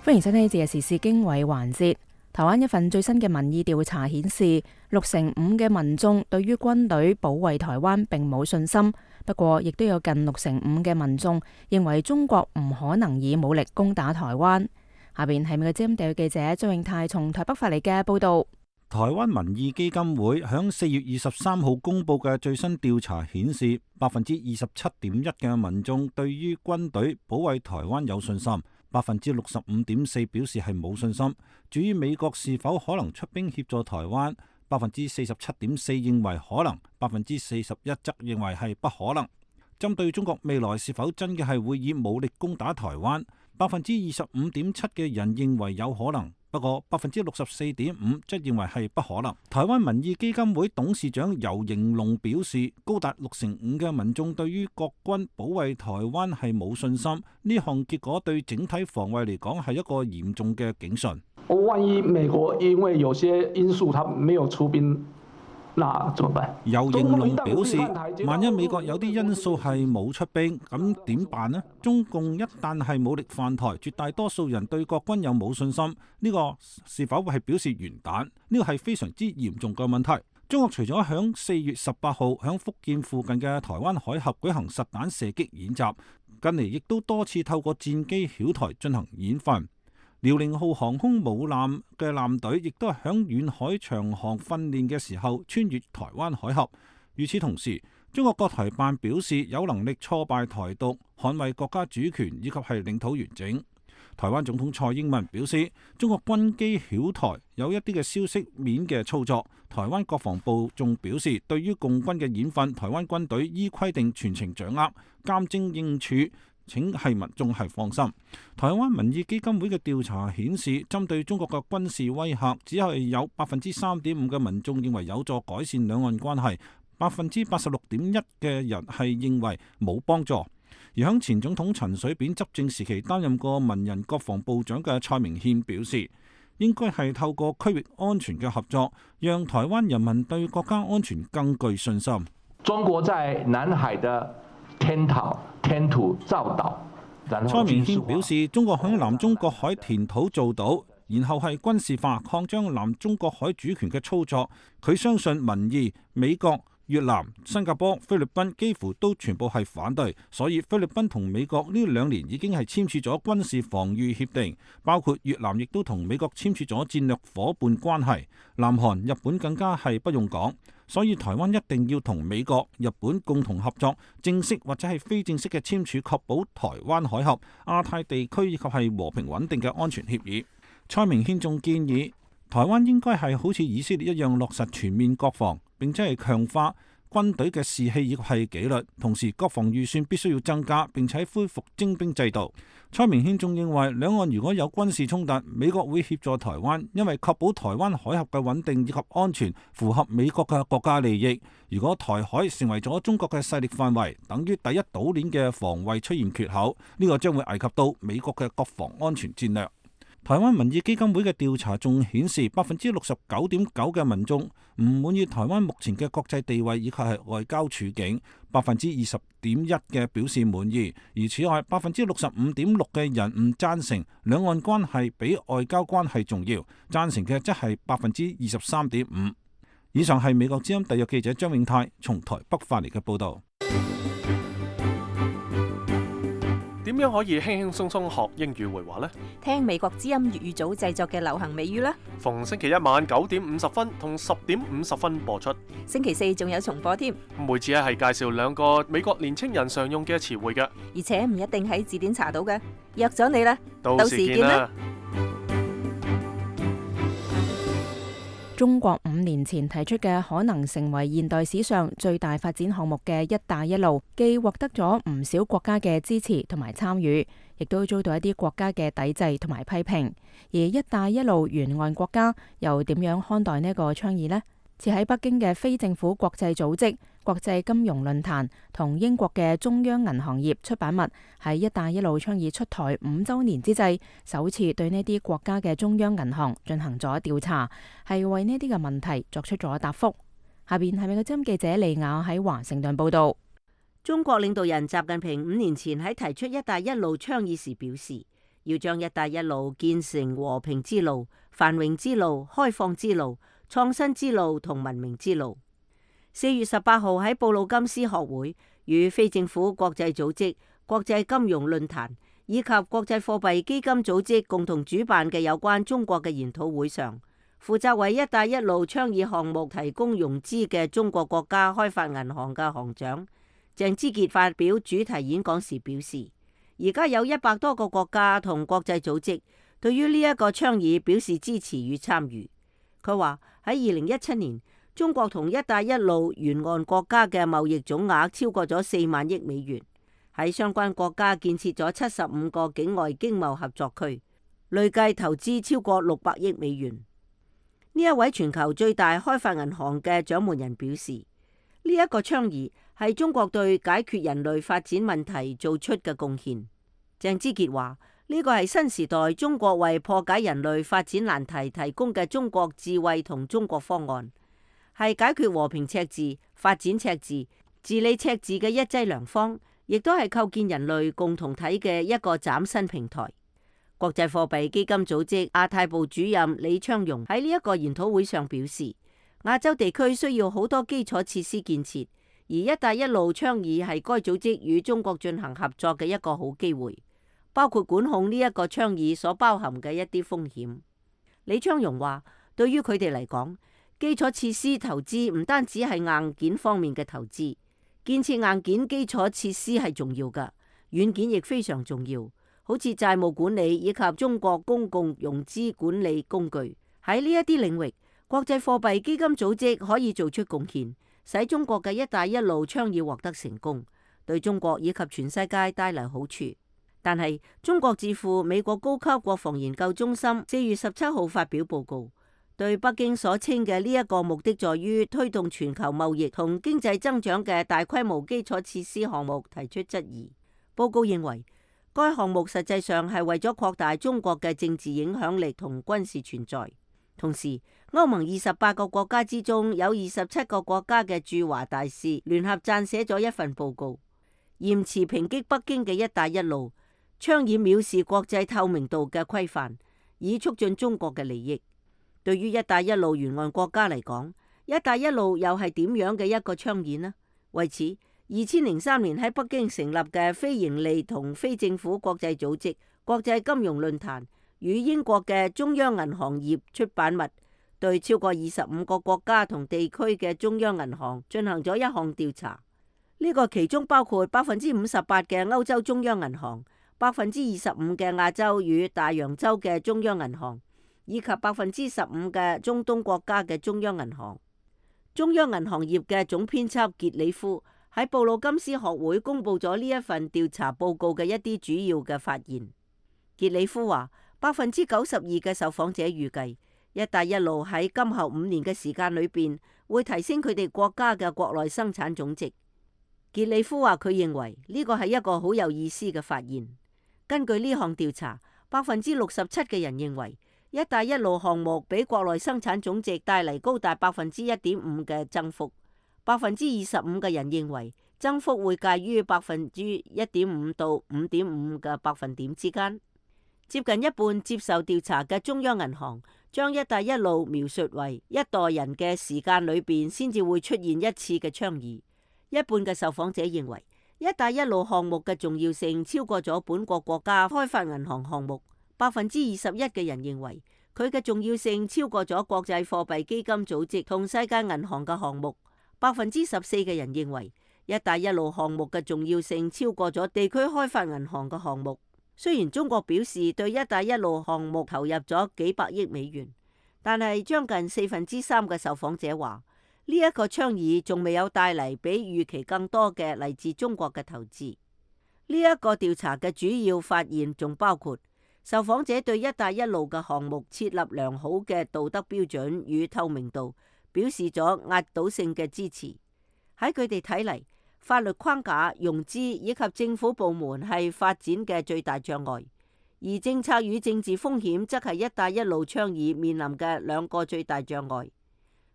歡迎收聽呢節嘅時事經緯環節。台灣一份最新嘅民意調查顯示，65%嘅民眾對於軍隊保衛台灣並冇信心。不過，亦都有近65%嘅民眾認為中國唔可能以武力攻打台灣。下邊係美國之音地記者張永泰從台北發嚟嘅報導。台灣民意基金會響4月23號公佈嘅最新調查顯示，27.1%嘅民眾對於軍隊保衛台灣有信心，65.4%表示係冇信心。至於美國是否可能出兵協助台灣，47.4% 認為可能，41%則認為係不可能。針對中國未來是否真嘅係會以武力攻打台灣，25.7% 嘅人認為有可能，不過64.5% 則認為係不可能。台灣民意基金會董事長游盈隆表示，高達65%嘅民眾對於國軍保衛台灣係冇信心，呢項結果對整體防衛嚟講係一個嚴重嘅警訊。萬一美國因為有些因素，他沒有出兵，那怎麼辦？游盈隆表示，萬一美國有啲因素係冇出兵，咁點辦呢？中共一旦係武力犯台，絕大多數人對國軍有冇信心，呢個是否係表示完蛋？呢個係非常之嚴重嘅問題。中國除咗響4月18號響福建附近嘅台灣海峽舉行實彈射擊演習，近嚟亦都多次透過戰機曉台進行演訓。遼寧號航空母艦嘅艦隊亦都係響遠海長航訓練嘅時候穿越台灣海峽。與此同時，中國國台辦表示有能力挫敗台獨，捍衛國家主權以及係領土完整。台灣總統蔡英文表示，中國軍機曉台有一啲嘅消息面嘅操作。台灣國防部仲表示，對於共軍嘅演訓，台灣軍隊依規定全程掌握，監偵應處。請係民眾係放心。台灣民意基金會嘅調查顯示，針對中國嘅軍事威嚇，只係有3.5%嘅民眾認為有助改善兩岸關係，86.1%嘅人係認為冇幫助。而響前總統陳水扁執政時期擔任過文人國防部長嘅蔡明憲表示，應該係透過區域安全嘅合作，讓台灣人民對國家安全更具信心。中國在南海的填土造島。蔡明憲表示，中國響南中國海填土造島，然後係軍事化擴張南中國海主權嘅操作。佢相信民意、美國、越南、新加坡、菲律賓幾乎都全部係反對，所以菲律賓同美國呢2年已經係簽署咗軍事防禦協定，包括越南亦都同美國簽署咗戰略夥伴關係，南韓、日本更加係不用講。所以台灣一定要同美國、日本共同合作，正式或者係非正式嘅簽署，確保台灣海峽、亞太地區以及係和平穩定嘅安全協議。蔡明憲仲建議，台灣應該係好似以色列一樣落實全面國防，並且係強化軍隊嘅士氣以及係紀律，同時國防預算必須要增加，並且恢復徵兵制度。蔡明憲仲認為，兩岸如果有軍事衝突，美國會協助台灣，因為確保台灣海峽嘅穩定以及安全符合美國嘅國家利益。如果台海成為咗中國嘅勢力範圍，等於第一島鏈嘅防衛出現缺口，呢個將會危及到美國嘅國防安全戰略。台灣民意基金會嘅調查仲顯示，69.9% 嘅民眾唔滿意台灣目前嘅國際地位以及係外交處境，20.1% 嘅表示滿意。而此外，65.6% 嘅人唔贊成兩岸關係比外交關係重要，贊成嘅則係23.5%。以上係美國之音特約記者張永泰從台北發嚟嘅報導。點樣可以輕輕鬆鬆學英語會話呢？聽美國之音粵語組製作嘅流行美語啦。逢星期一晚9:50同10:50播出。星期四仲有重播添。每次係介紹2個美國年青人常用嘅詞彙嘅，而且唔一定喺字典查到嘅。約咗你啦，到時見啦。中國5年前提出嘅可能成為現代史上最大發展項目嘅一帶一路，既獲得咗唔少國家嘅支持同埋參與，亦都遭到一啲國家嘅抵制同埋批評。而一帶一路沿岸國家又點樣看待呢個倡議呢？設喺北京嘅非政府國際組織國際金融論壇同英國嘅中央銀行業出版物喺一帶一路倡議出台5週年之際，首次對呢啲國家嘅中央銀行進行咗調查，係為呢啲嘅問題作出咗答覆。下邊係美國之音記者利亞喺華盛頓報道。中國領導人習近平5年前喺提出一帶一路倡議時表示，要將一帶一路建成和平之路、繁榮之路、開放之路、創新之路同文明之路。4月18號喺布魯金斯學會與非政府國際組織國際金融論壇以及國際貨幣基金組織共同主辦嘅有關中國嘅研討會上，負責為一帶一路倡議項目提供融資嘅中國國家開發銀行嘅行長鄭之傑發表主題演講時表示，而家有100多個國家同國際組織對於呢一個倡議表示支持與參與。佢話喺2017年，中國同一帶一路沿岸國家嘅貿易總額超過咗4萬億美元，喺相關國家建設咗75個境外經貿合作區，累計投資超過600億美元。呢一位全球最大開發銀行嘅掌門人表示，呢一個倡議係中國對解決人類發展問題做出嘅貢獻。鄭之傑話，呢個係新時代中國為破解人類發展難題提供嘅中國智慧同中國方案，係解決和平赤字、發展赤字、治理赤字嘅一劑良方，亦都係構建人類共同體嘅一個嶄新平台。國際貨幣基金組織亞太部主任李昌鏞喺呢一個研討會上表示，亞洲地區需要好多基礎設施建設，而一帶一路倡議係該組織與中國進行合作嘅一個好機會，包括管控呢一個倡議所包含嘅一啲風險。李昌鏞話，對於佢哋嚟講，基礎設施投資唔單止係硬件方面嘅投資，建設硬件基礎設施係重要㗎，軟件亦非常重要，好似債務管理以及中國公共融資管理工具。喺呢一啲領域，國際貨幣基金組織可以做出貢獻，使中國嘅一帶一路倡議獲得成功，對中國以及全世界帶嚟好處。但係中國智庫美國高級國防研究中心4月17號發表報告，對北京所稱嘅呢一個目的在於推動全球貿易同經濟增長嘅大規模基礎設施項目提出質疑。報告認為，該項目實際上係為咗擴大中國嘅政治影響力同軍事存在。同時，歐盟28個國家之中有27個國家嘅駐華大使聯合撰寫咗一份報告，嚴詞抨擊北京嘅一帶一路倡議藐視國際透明度嘅規範，以促進中國嘅利益。對於一帶一路沿岸國家嚟講，一帶一路又係點樣嘅一個倡議呢？為此，2003年喺北京成立嘅非營利同非政府國際組織國際金融論壇與英國嘅中央銀行業出版物，對超過25個國家同地區嘅中央銀行進行咗一項調查。呢個其中包括58%嘅歐洲中央銀行、25%嘅亞洲與大洋洲嘅中央銀行，以及15%嘅中東國家嘅中央銀行。中央銀行業嘅總編輯傑里夫喺布魯金斯學會公布咗呢一份調查報告嘅一啲主要嘅發現。傑里夫話，92%嘅受訪者預計一帶一路喺今後5年嘅時間裏邊會提升佢哋國家嘅國內生產總值。傑里夫話佢認為呢個係一個好有意思嘅發現。根據呢項調查，67%嘅人認為一帶一路項目俾國內生產總值帶嚟高達1.5%嘅增幅，25%嘅人認為增幅會介於1.5%到5.5%嘅百分點之間。接近一半接受調查嘅中央銀行將一帶一路描述為一代人嘅時間裏邊先至會出現一次嘅倡議。一半嘅受訪者認為一帶一路項目嘅重要性超過咗本國國家開發銀行項目。21%嘅人認為佢嘅重要性超過咗國際貨幣基金組織同世界銀行嘅項目。14%嘅人認為一帶一路項目嘅重要性超過咗地區開發銀行嘅項目。雖然中國表示對一帶一路項目投入咗幾百億美元，但係將近3%嘅受訪者話呢一個倡議仲未有帶嚟比預期更多嘅嚟自中國嘅投資。呢一個調查嘅主要發現仲包括受訪者對一帶一路嘅項目設立良好嘅道德標準與透明度表示咗壓倒性嘅支持。喺佢哋睇嚟，法律框架、融資以及政府部門係發展嘅最大障礙，而政策與政治風險則係一帶一路倡議面臨嘅兩個最大障礙。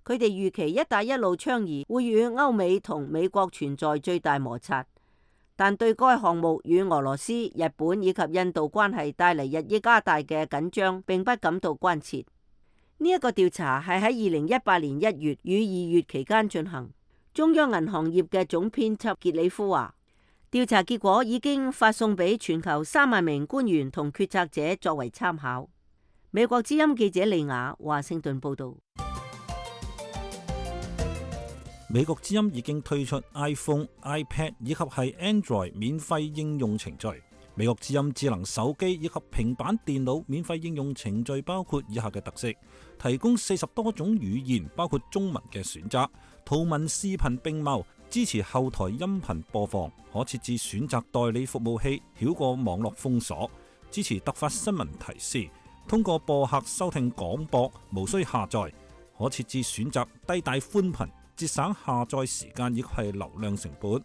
佢哋預期一帶一路倡議會與歐美同美國存在最大摩擦，但對該項目與俄羅斯、日本以及印度關係帶嚟日益加大嘅緊張並不感到關切。呢一個調查係喺2018年1月與2月期間進行。中央銀行業嘅總編輯傑里夫話，調查結果已經發送俾全球3萬名官員同決策者作為參考。美國之音記者利亞華盛頓報道。美國之音已經推出 iPhone、iPad 以及係 Android 免費應用程序。美國之音智能手機以及平板電腦免費應用程序包括以下嘅特色：提供40多種語言，包括中文嘅選擇，圖文視頻並茂，支持後台音頻播放，可設置選擇代理服務器，繞過網絡封鎖，支持突發新聞提示，通過播客收聽廣播，無需下載，可設置選擇低帶寬頻，節省下載時間以及係流量成本。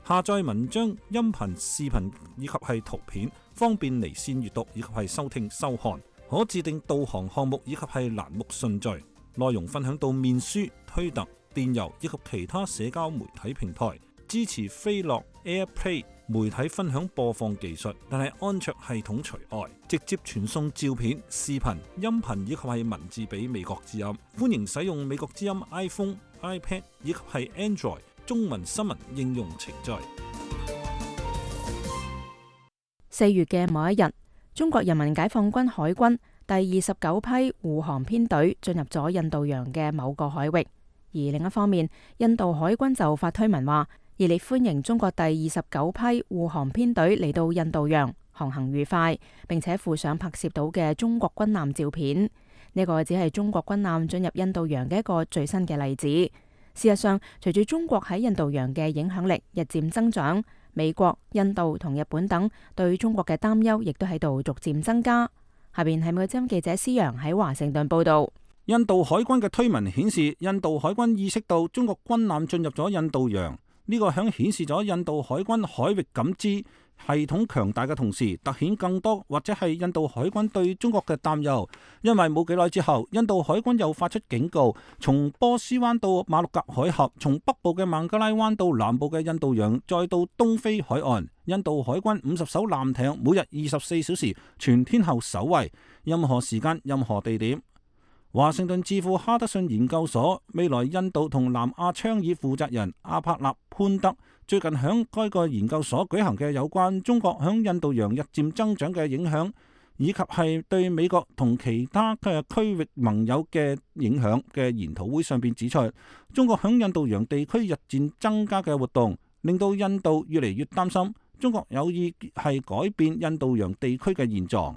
下載文章、音頻、視頻以及係圖片，方便離線閱讀以及係收聽收看。可自定導航項目以及係欄目順序，內容分享到面書、推特、電郵以及其他社交媒體平台。支持飛樂 AirPlay 媒體分享播放技術，但係安卓系統除外。直接傳送照片、視頻、音頻以及係文字俾美國之音。歡迎使用美國之音 iPhone、iPad 以及係 Android中文新聞應用程序。4月嘅某一日，中國人民解放軍海軍第29批護航編隊進入咗印度洋嘅某個海域，而另一方面，印度海軍就發推文話熱烈歡迎中國第29批護航編隊嚟到印度洋，航行愉快，並且附上拍攝到嘅中國軍艦照片。呢個只係中國軍艦進入印度洋嘅一個最新嘅例子。事實上，隨住中國喺印度洋嘅影響力日漸增長，美國、印度同日本等對中國嘅擔憂亦都喺度逐漸增加。下邊係美國之音記者施洋喺華盛頓報道。印度海軍嘅推文顯示，印度海軍意識到中國軍艦進入咗印度洋，呢個響顯示咗印度海軍海域感知系統強大嘅同時，凸顯更多或者係印度海軍對中國嘅擔憂。因為冇幾耐之後，印度海軍又發出警告，從波斯灣到馬六甲海峽，從北部嘅孟加拉灣到南部嘅印度洋，再到東非海岸，印度海軍50艘艦艇每日24小時全天候守衛，任何時間、任何地點。華盛頓智庫哈德遜研究所未來印度同南亞倡議負責人阿帕納潘德最近響該個研究所舉行嘅有關中國響印度洋日漸增長嘅影響，以及係對美國同其他嘅區域盟友嘅影響嘅研討會上邊指出，中國響印度洋地區日漸增加嘅活動，令到印度越嚟越擔心中國有意係改變印度洋地區嘅現狀。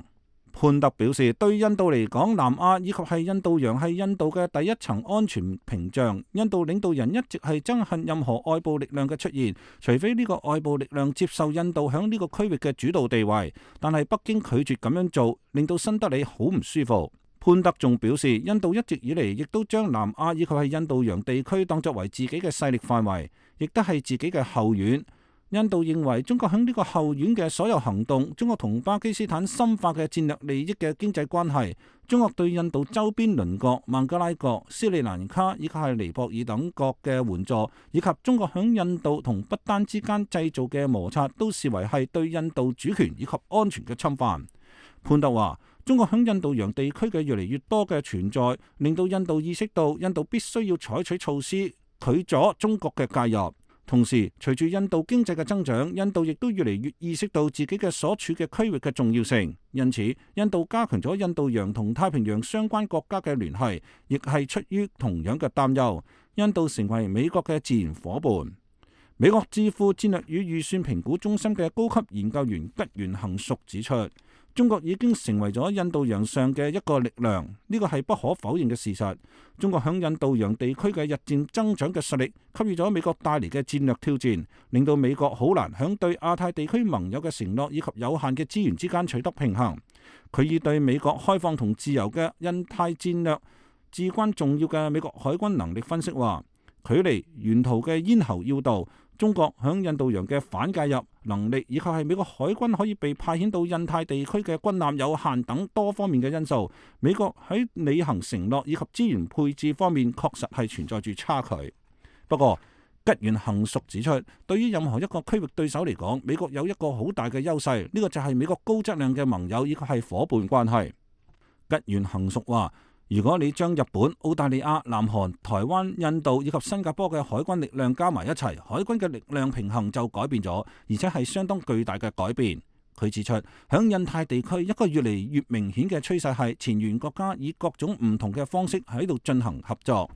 潘特表示，對印度嚟講，南亞以及係印度洋係印度嘅第一層安全屏障。印度領導人一直係憎恨任何外部力量嘅出現，除非呢個外部力量接受印度響呢個區域嘅主導地位。但係北京拒絕咁樣做，令到新德里好唔舒服。潘特仲表示，印度一直以嚟亦都將南亞以及係印度洋地區當作為自己嘅勢力範圍，亦都係自己嘅後院。印度認為中國喺呢個後院嘅所有行動，中國同巴基斯坦深化嘅戰略利益嘅經濟關係，中國對印度周邊鄰國孟加拉國、斯里蘭卡以及係尼泊爾等國嘅援助，以及中國喺印度同不丹之間製造嘅摩擦，都視為係對印度主權以及安全嘅侵犯。潘特話，中國喺印度洋地區嘅越嚟越多嘅存在，令到印度意識到印度必須要採取措施拒阻中國嘅介入。同時，隨住印度經濟嘅增長，印度亦都越嚟越意識到自己嘅所處嘅區域嘅重要性。因此，印度加強咗印度洋同太平洋相關國家嘅聯繫，亦係出於同樣嘅擔憂。印度成為美國嘅自然夥伴。美國智庫戰略與預算評估中心嘅高級研究員吉原恒淑指出，中國已經成為咗印度洋上嘅一個力量，呢個係不可否認嘅事實。中國響印度洋地區嘅日漸增長嘅實力，給予咗美國帶嚟嘅戰略挑戰，令到美國好難響對亞太地區盟友嘅承諾以及有限嘅資源之間取得平衡。佢以對美國開放同自由嘅印太戰略至關重要嘅美國海軍能力分析話，距離沿途嘅咽喉要道，中國響印度洋嘅反介入能力，以及係美國海軍可以被派遣到印太地區嘅軍艦有限等多方面嘅因素，美國喺履行承諾以及資源配置方面確實係存在住差距。不過，吉原恒淑指出，對於任何一個區域對手嚟講，美國有一個好大嘅優勢，呢個就係美國高質量嘅盟友以及係夥伴關係。吉原恒淑話，如果你將日本、澳大利亞、南韓、台灣、印度以及新加坡嘅海軍力量加埋一齊，海軍嘅力量平衡就改變咗，而且係相當巨大嘅改變。佢指出，響印太地區一個越嚟越明顯嘅趨勢係前沿國家以各種唔同嘅方式喺度進行合作。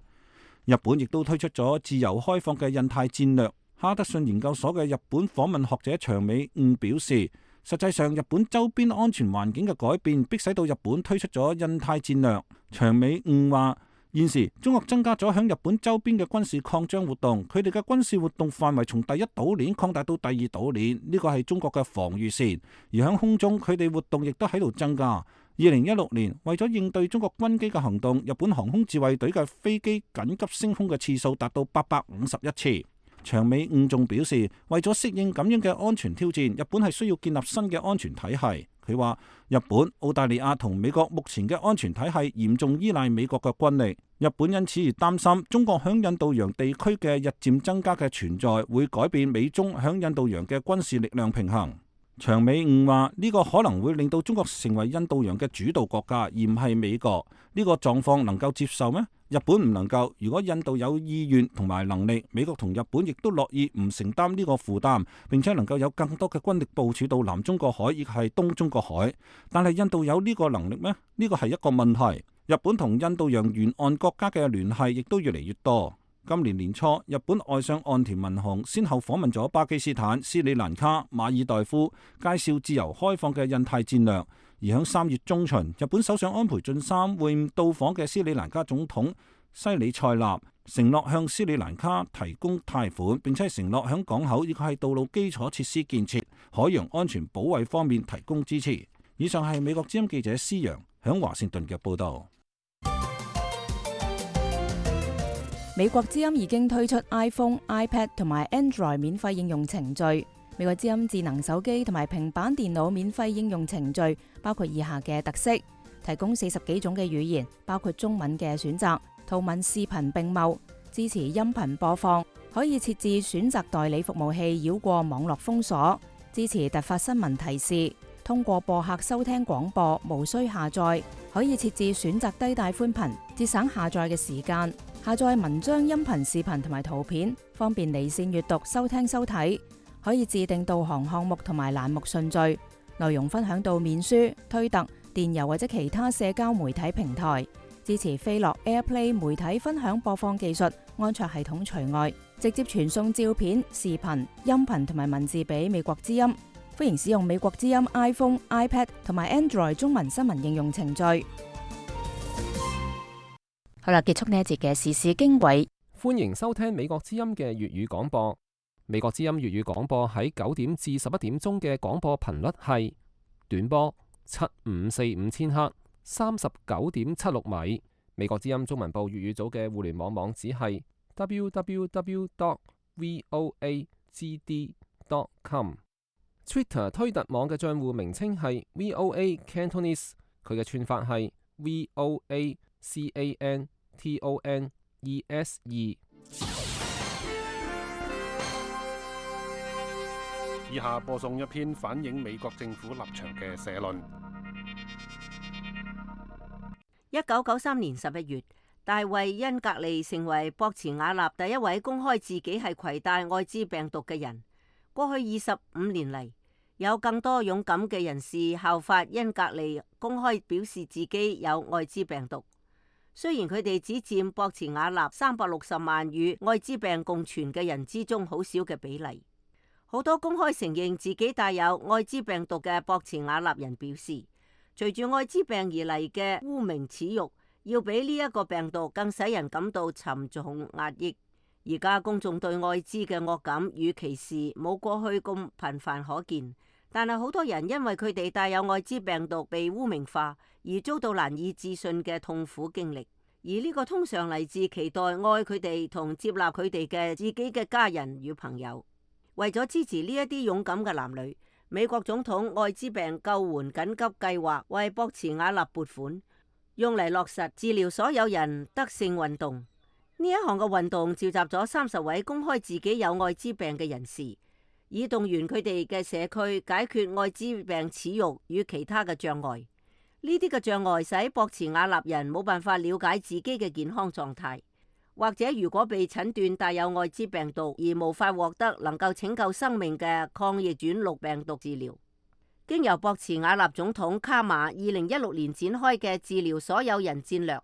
日本亦都推出咗自由開放嘅印太戰略。哈德遜研究所嘅日本訪問學者長尾悟表示，實際上，日本周邊安全環境嘅改變，迫使到日本推出咗印太戰略。長尾悟話，現時中國增加咗響日本周邊嘅軍事擴張活動，佢哋嘅軍事活動範圍從第一島鏈擴大到第二島鏈，呢個係中國嘅防禦線。而響空中，佢哋活動亦都喺度增加。2016年，為咗應對中國軍機嘅行動，日本航空自衛隊嘅飛機緊急升空嘅次數達到851次。長尾悟仲表示，為咗適應咁樣嘅安全挑戰，日本係需要建立新嘅安全體系。佢話，日本、澳大利亞同美國目前嘅安全體系嚴重依賴美國嘅軍力，日本因此而擔心中國響印度洋地區嘅日漸增加嘅存在會改變美中響印度洋嘅軍事力量平衡。長尾悟話，呢個可能會令到中國成為印度洋嘅主導國家，而唔係美國。呢個狀況能夠接受咩？日本唔能夠。如果印度有意願同埋能力，美國同日本亦都樂意唔承擔呢個負擔，並且能夠有更多嘅軍力部署到南中國海，亦係東中國海。但係印度有呢個能力咩？呢個係一個問題。日本同印度洋沿岸國家嘅聯繫亦都越嚟越多。今年年初，日本外相岸田文雄先後訪問咗巴基斯坦、斯里蘭卡、馬爾代夫，介紹自由開放嘅印太戰略。而喺3月中旬，日本首相安倍晉三會晤到訪嘅斯里蘭卡總統西里塞納，承諾向斯里蘭卡提供貸款，並且承諾響港口以及係道路基礎設施建設、海洋安全保衛方面提供支持。以上係美國之音記者施洋響華盛頓嘅報導。美國之音已經推出 iPhone、iPad 同埋 Android 免費應用程序。美國之音智能手機同埋平板電腦免費應用程序包括以下嘅特色：提供40幾種嘅語言，包括中文嘅選擇，圖文視頻並茂，支持音頻播放，可以設置選擇代理服務器繞過網絡封鎖，支持突發新聞提示，通過播客收聽廣播，無需下載，可以設置選擇低帶寬頻，節省下載嘅時間，下載文章、音頻、視頻同埋圖片，方便離線閱讀、收聽收睇。可以自定導航項目同埋欄目順序，內容分享到面書、推特、電郵或者其他社交媒體平台，支持飛樂 AirPlay 媒體分享播放技術，安卓系統除外，直接傳送照片、視頻、音頻同埋文字俾美國之音。歡迎使用美國之音 iPhone、iPad 同埋 Android 中文新聞應用程序。好啦，結束呢一節嘅時事經緯，歡迎收聽美國之音嘅粵語廣播。美國之音粵語廣播喺9點至11點鐘嘅廣播頻率係短波7545千赫39.76米。美國之音中文部粵語組嘅互聯網網址係 www.voagd.com。Twitter 推特網嘅賬戶名稱係 VOA Cantonese， 佢嘅串法係 VOACANTONESE。以下播送一篇反映美國政府立場嘅社論。1993年11月，大衛恩格利成為博茨瓦納第一位公開自己係攜帶愛滋病毒嘅人。過去25年嚟，有更多勇敢嘅人士效法恩格利，公開表示自己有愛滋病毒。雖然佢哋只佔博茨瓦納360萬與愛滋病共存嘅人之中好少嘅比例。好多公開承認自己帶有愛滋病毒嘅博茨瓦納人表示，隨住愛滋病而嚟嘅污名恥辱，要比呢一個病毒更使人感到沉重壓抑。而家公眾對愛滋嘅惡感與歧視冇過去咁頻繁可見，但係好多人因為佢哋帶有愛滋病毒被污名化，而遭到難以置信嘅痛苦經歷。而呢個通常嚟自期待愛佢哋同接納佢哋嘅自己嘅家人與朋友。為咗支持呢一啲勇敢嘅男女，美國總統愛滋病救援緊急計劃為博茨瓦納撥款，用嚟落實治療所有人得勝運動。呢一項嘅運動召集咗30位公開自己有愛滋病嘅人士，以動員佢哋嘅社區解決愛滋病恥辱與其他嘅障礙。呢啲嘅障礙使博茨瓦納人冇辦法了解自己嘅健康狀態，或者如果被診斷帶有愛滋病毒而無法獲得能夠拯救生命嘅抗逆轉錄病毒治療。經由博茨瓦納總統卡馬2016年展開嘅治療所有人戰略，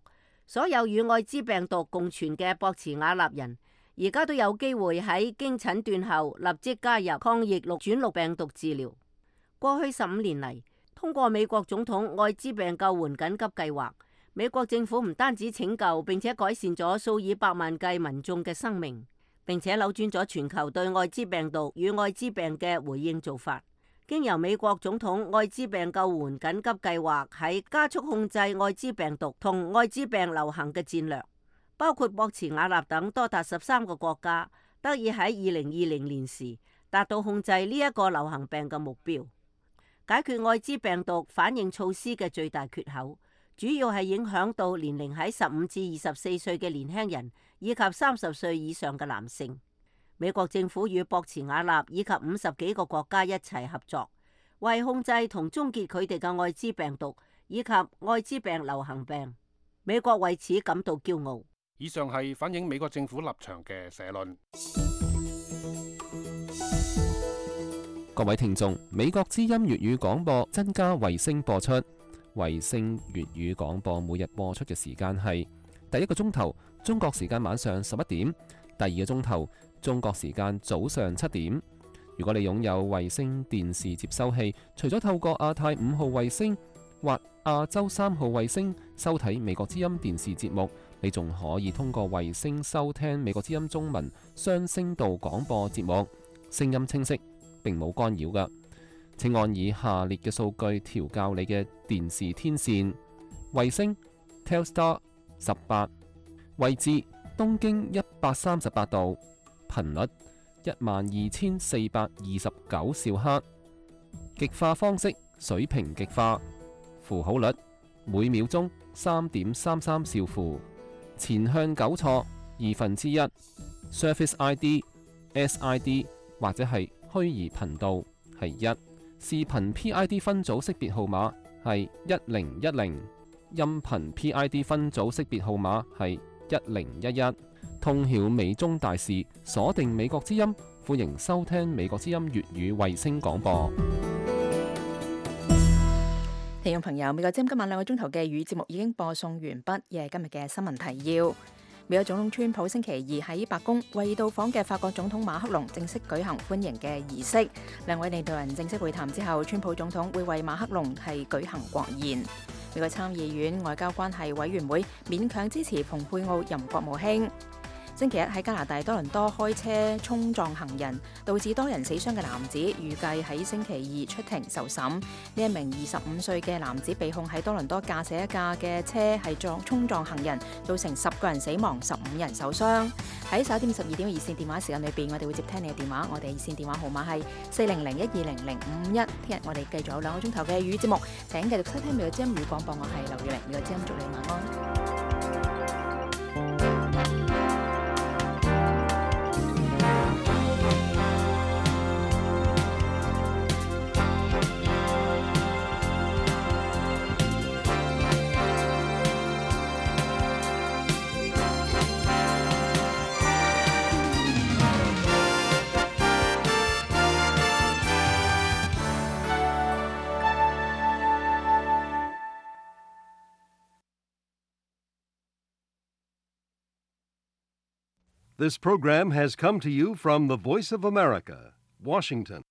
所有與愛滋病毒共存嘅博茨瓦納人，而家都有機會喺經診斷後立即加入抗逆轉錄病毒治療。過去15年嚟，通過美國總統愛滋病救援緊急計劃，美國政府唔單止拯救並且改善咗數以百萬計民眾嘅生命，並且扭轉咗全球對愛滋病毒與愛滋病嘅回應做法。經由美國總統愛滋病救援緊急計劃喺加速控制愛滋病毒同愛滋病流行嘅戰略，包括博茨瓦納等多達13個國家得以喺2020年時達到控制呢一個流行病嘅目標。解決愛滋病毒反應措施嘅最大缺口，主要係影響到年齡喺15至24歲嘅年輕人以及30歲以上嘅男性。美國政府與博茨瓦納以及50幾個國家一齊合作，為控制同終結佢哋嘅愛滋病毒以及愛滋病流行病。美國為此感到驕傲。以上係反映美國政府立場嘅社論。各位聽眾，美國之音粵語廣播增加衛星播出。衛星粵語廣播每日播出嘅時間係第一個鐘頭中國時間晚上11點，第二個鐘頭中國時間早上7點。如果你擁有衛星電視接收器，除咗透過亞太5號衛星或亞洲3號衛星收睇美國之音電視節目，你仲可以通過衛星收聽美國之音中文雙聲道廣播節目，聲音清晰，並冇干擾㗎。請按以下列嘅數據調校你嘅電視天線：衛星 Telstar 18，位置東經138度，頻率12429兆赫，極化方式水平極化，符號率每秒鐘3.33兆符，前向糾錯1/2， Surface ID、SID 或者係虛擬頻道係1，視頻 PID 分組識別號碼係1010，音頻 PID 分組識別號碼係1011。通曉美中大事，鎖定美國之音，歡迎收聽美國之音粵語衛星廣播。聽眾朋友，美國之音今晚2個鐘頭嘅語節目已經播送完畢，亦係今日嘅新聞提要。美國總統川普星期2喺白宮為到訪嘅法國總統馬克龍正式舉行歡迎嘅儀式。兩位領導人正式會談之後，川普總統會為馬克龍係舉行國宴。美國參議院外交關係委員會勉強支持蓬佩奧任國務卿。星期1喺加拿大多倫多開車衝撞行人，導致多人死傷嘅男子，預計喺星期2出庭受審。呢一名25歲嘅男子被控喺多倫多駕駛一架嘅車係衝撞行人，造成10個人死亡，15人受傷。喺11點12點嘅熱線電話時間裏邊，我哋會接聽你嘅電話。我哋熱線電話號碼係400120051。聽日我哋繼續有2個鐘頭嘅語節目，請繼續收聽美國之音語廣播。我係劉月玲，美國之音祝你晚安。This program has come to you from the Voice of America, Washington.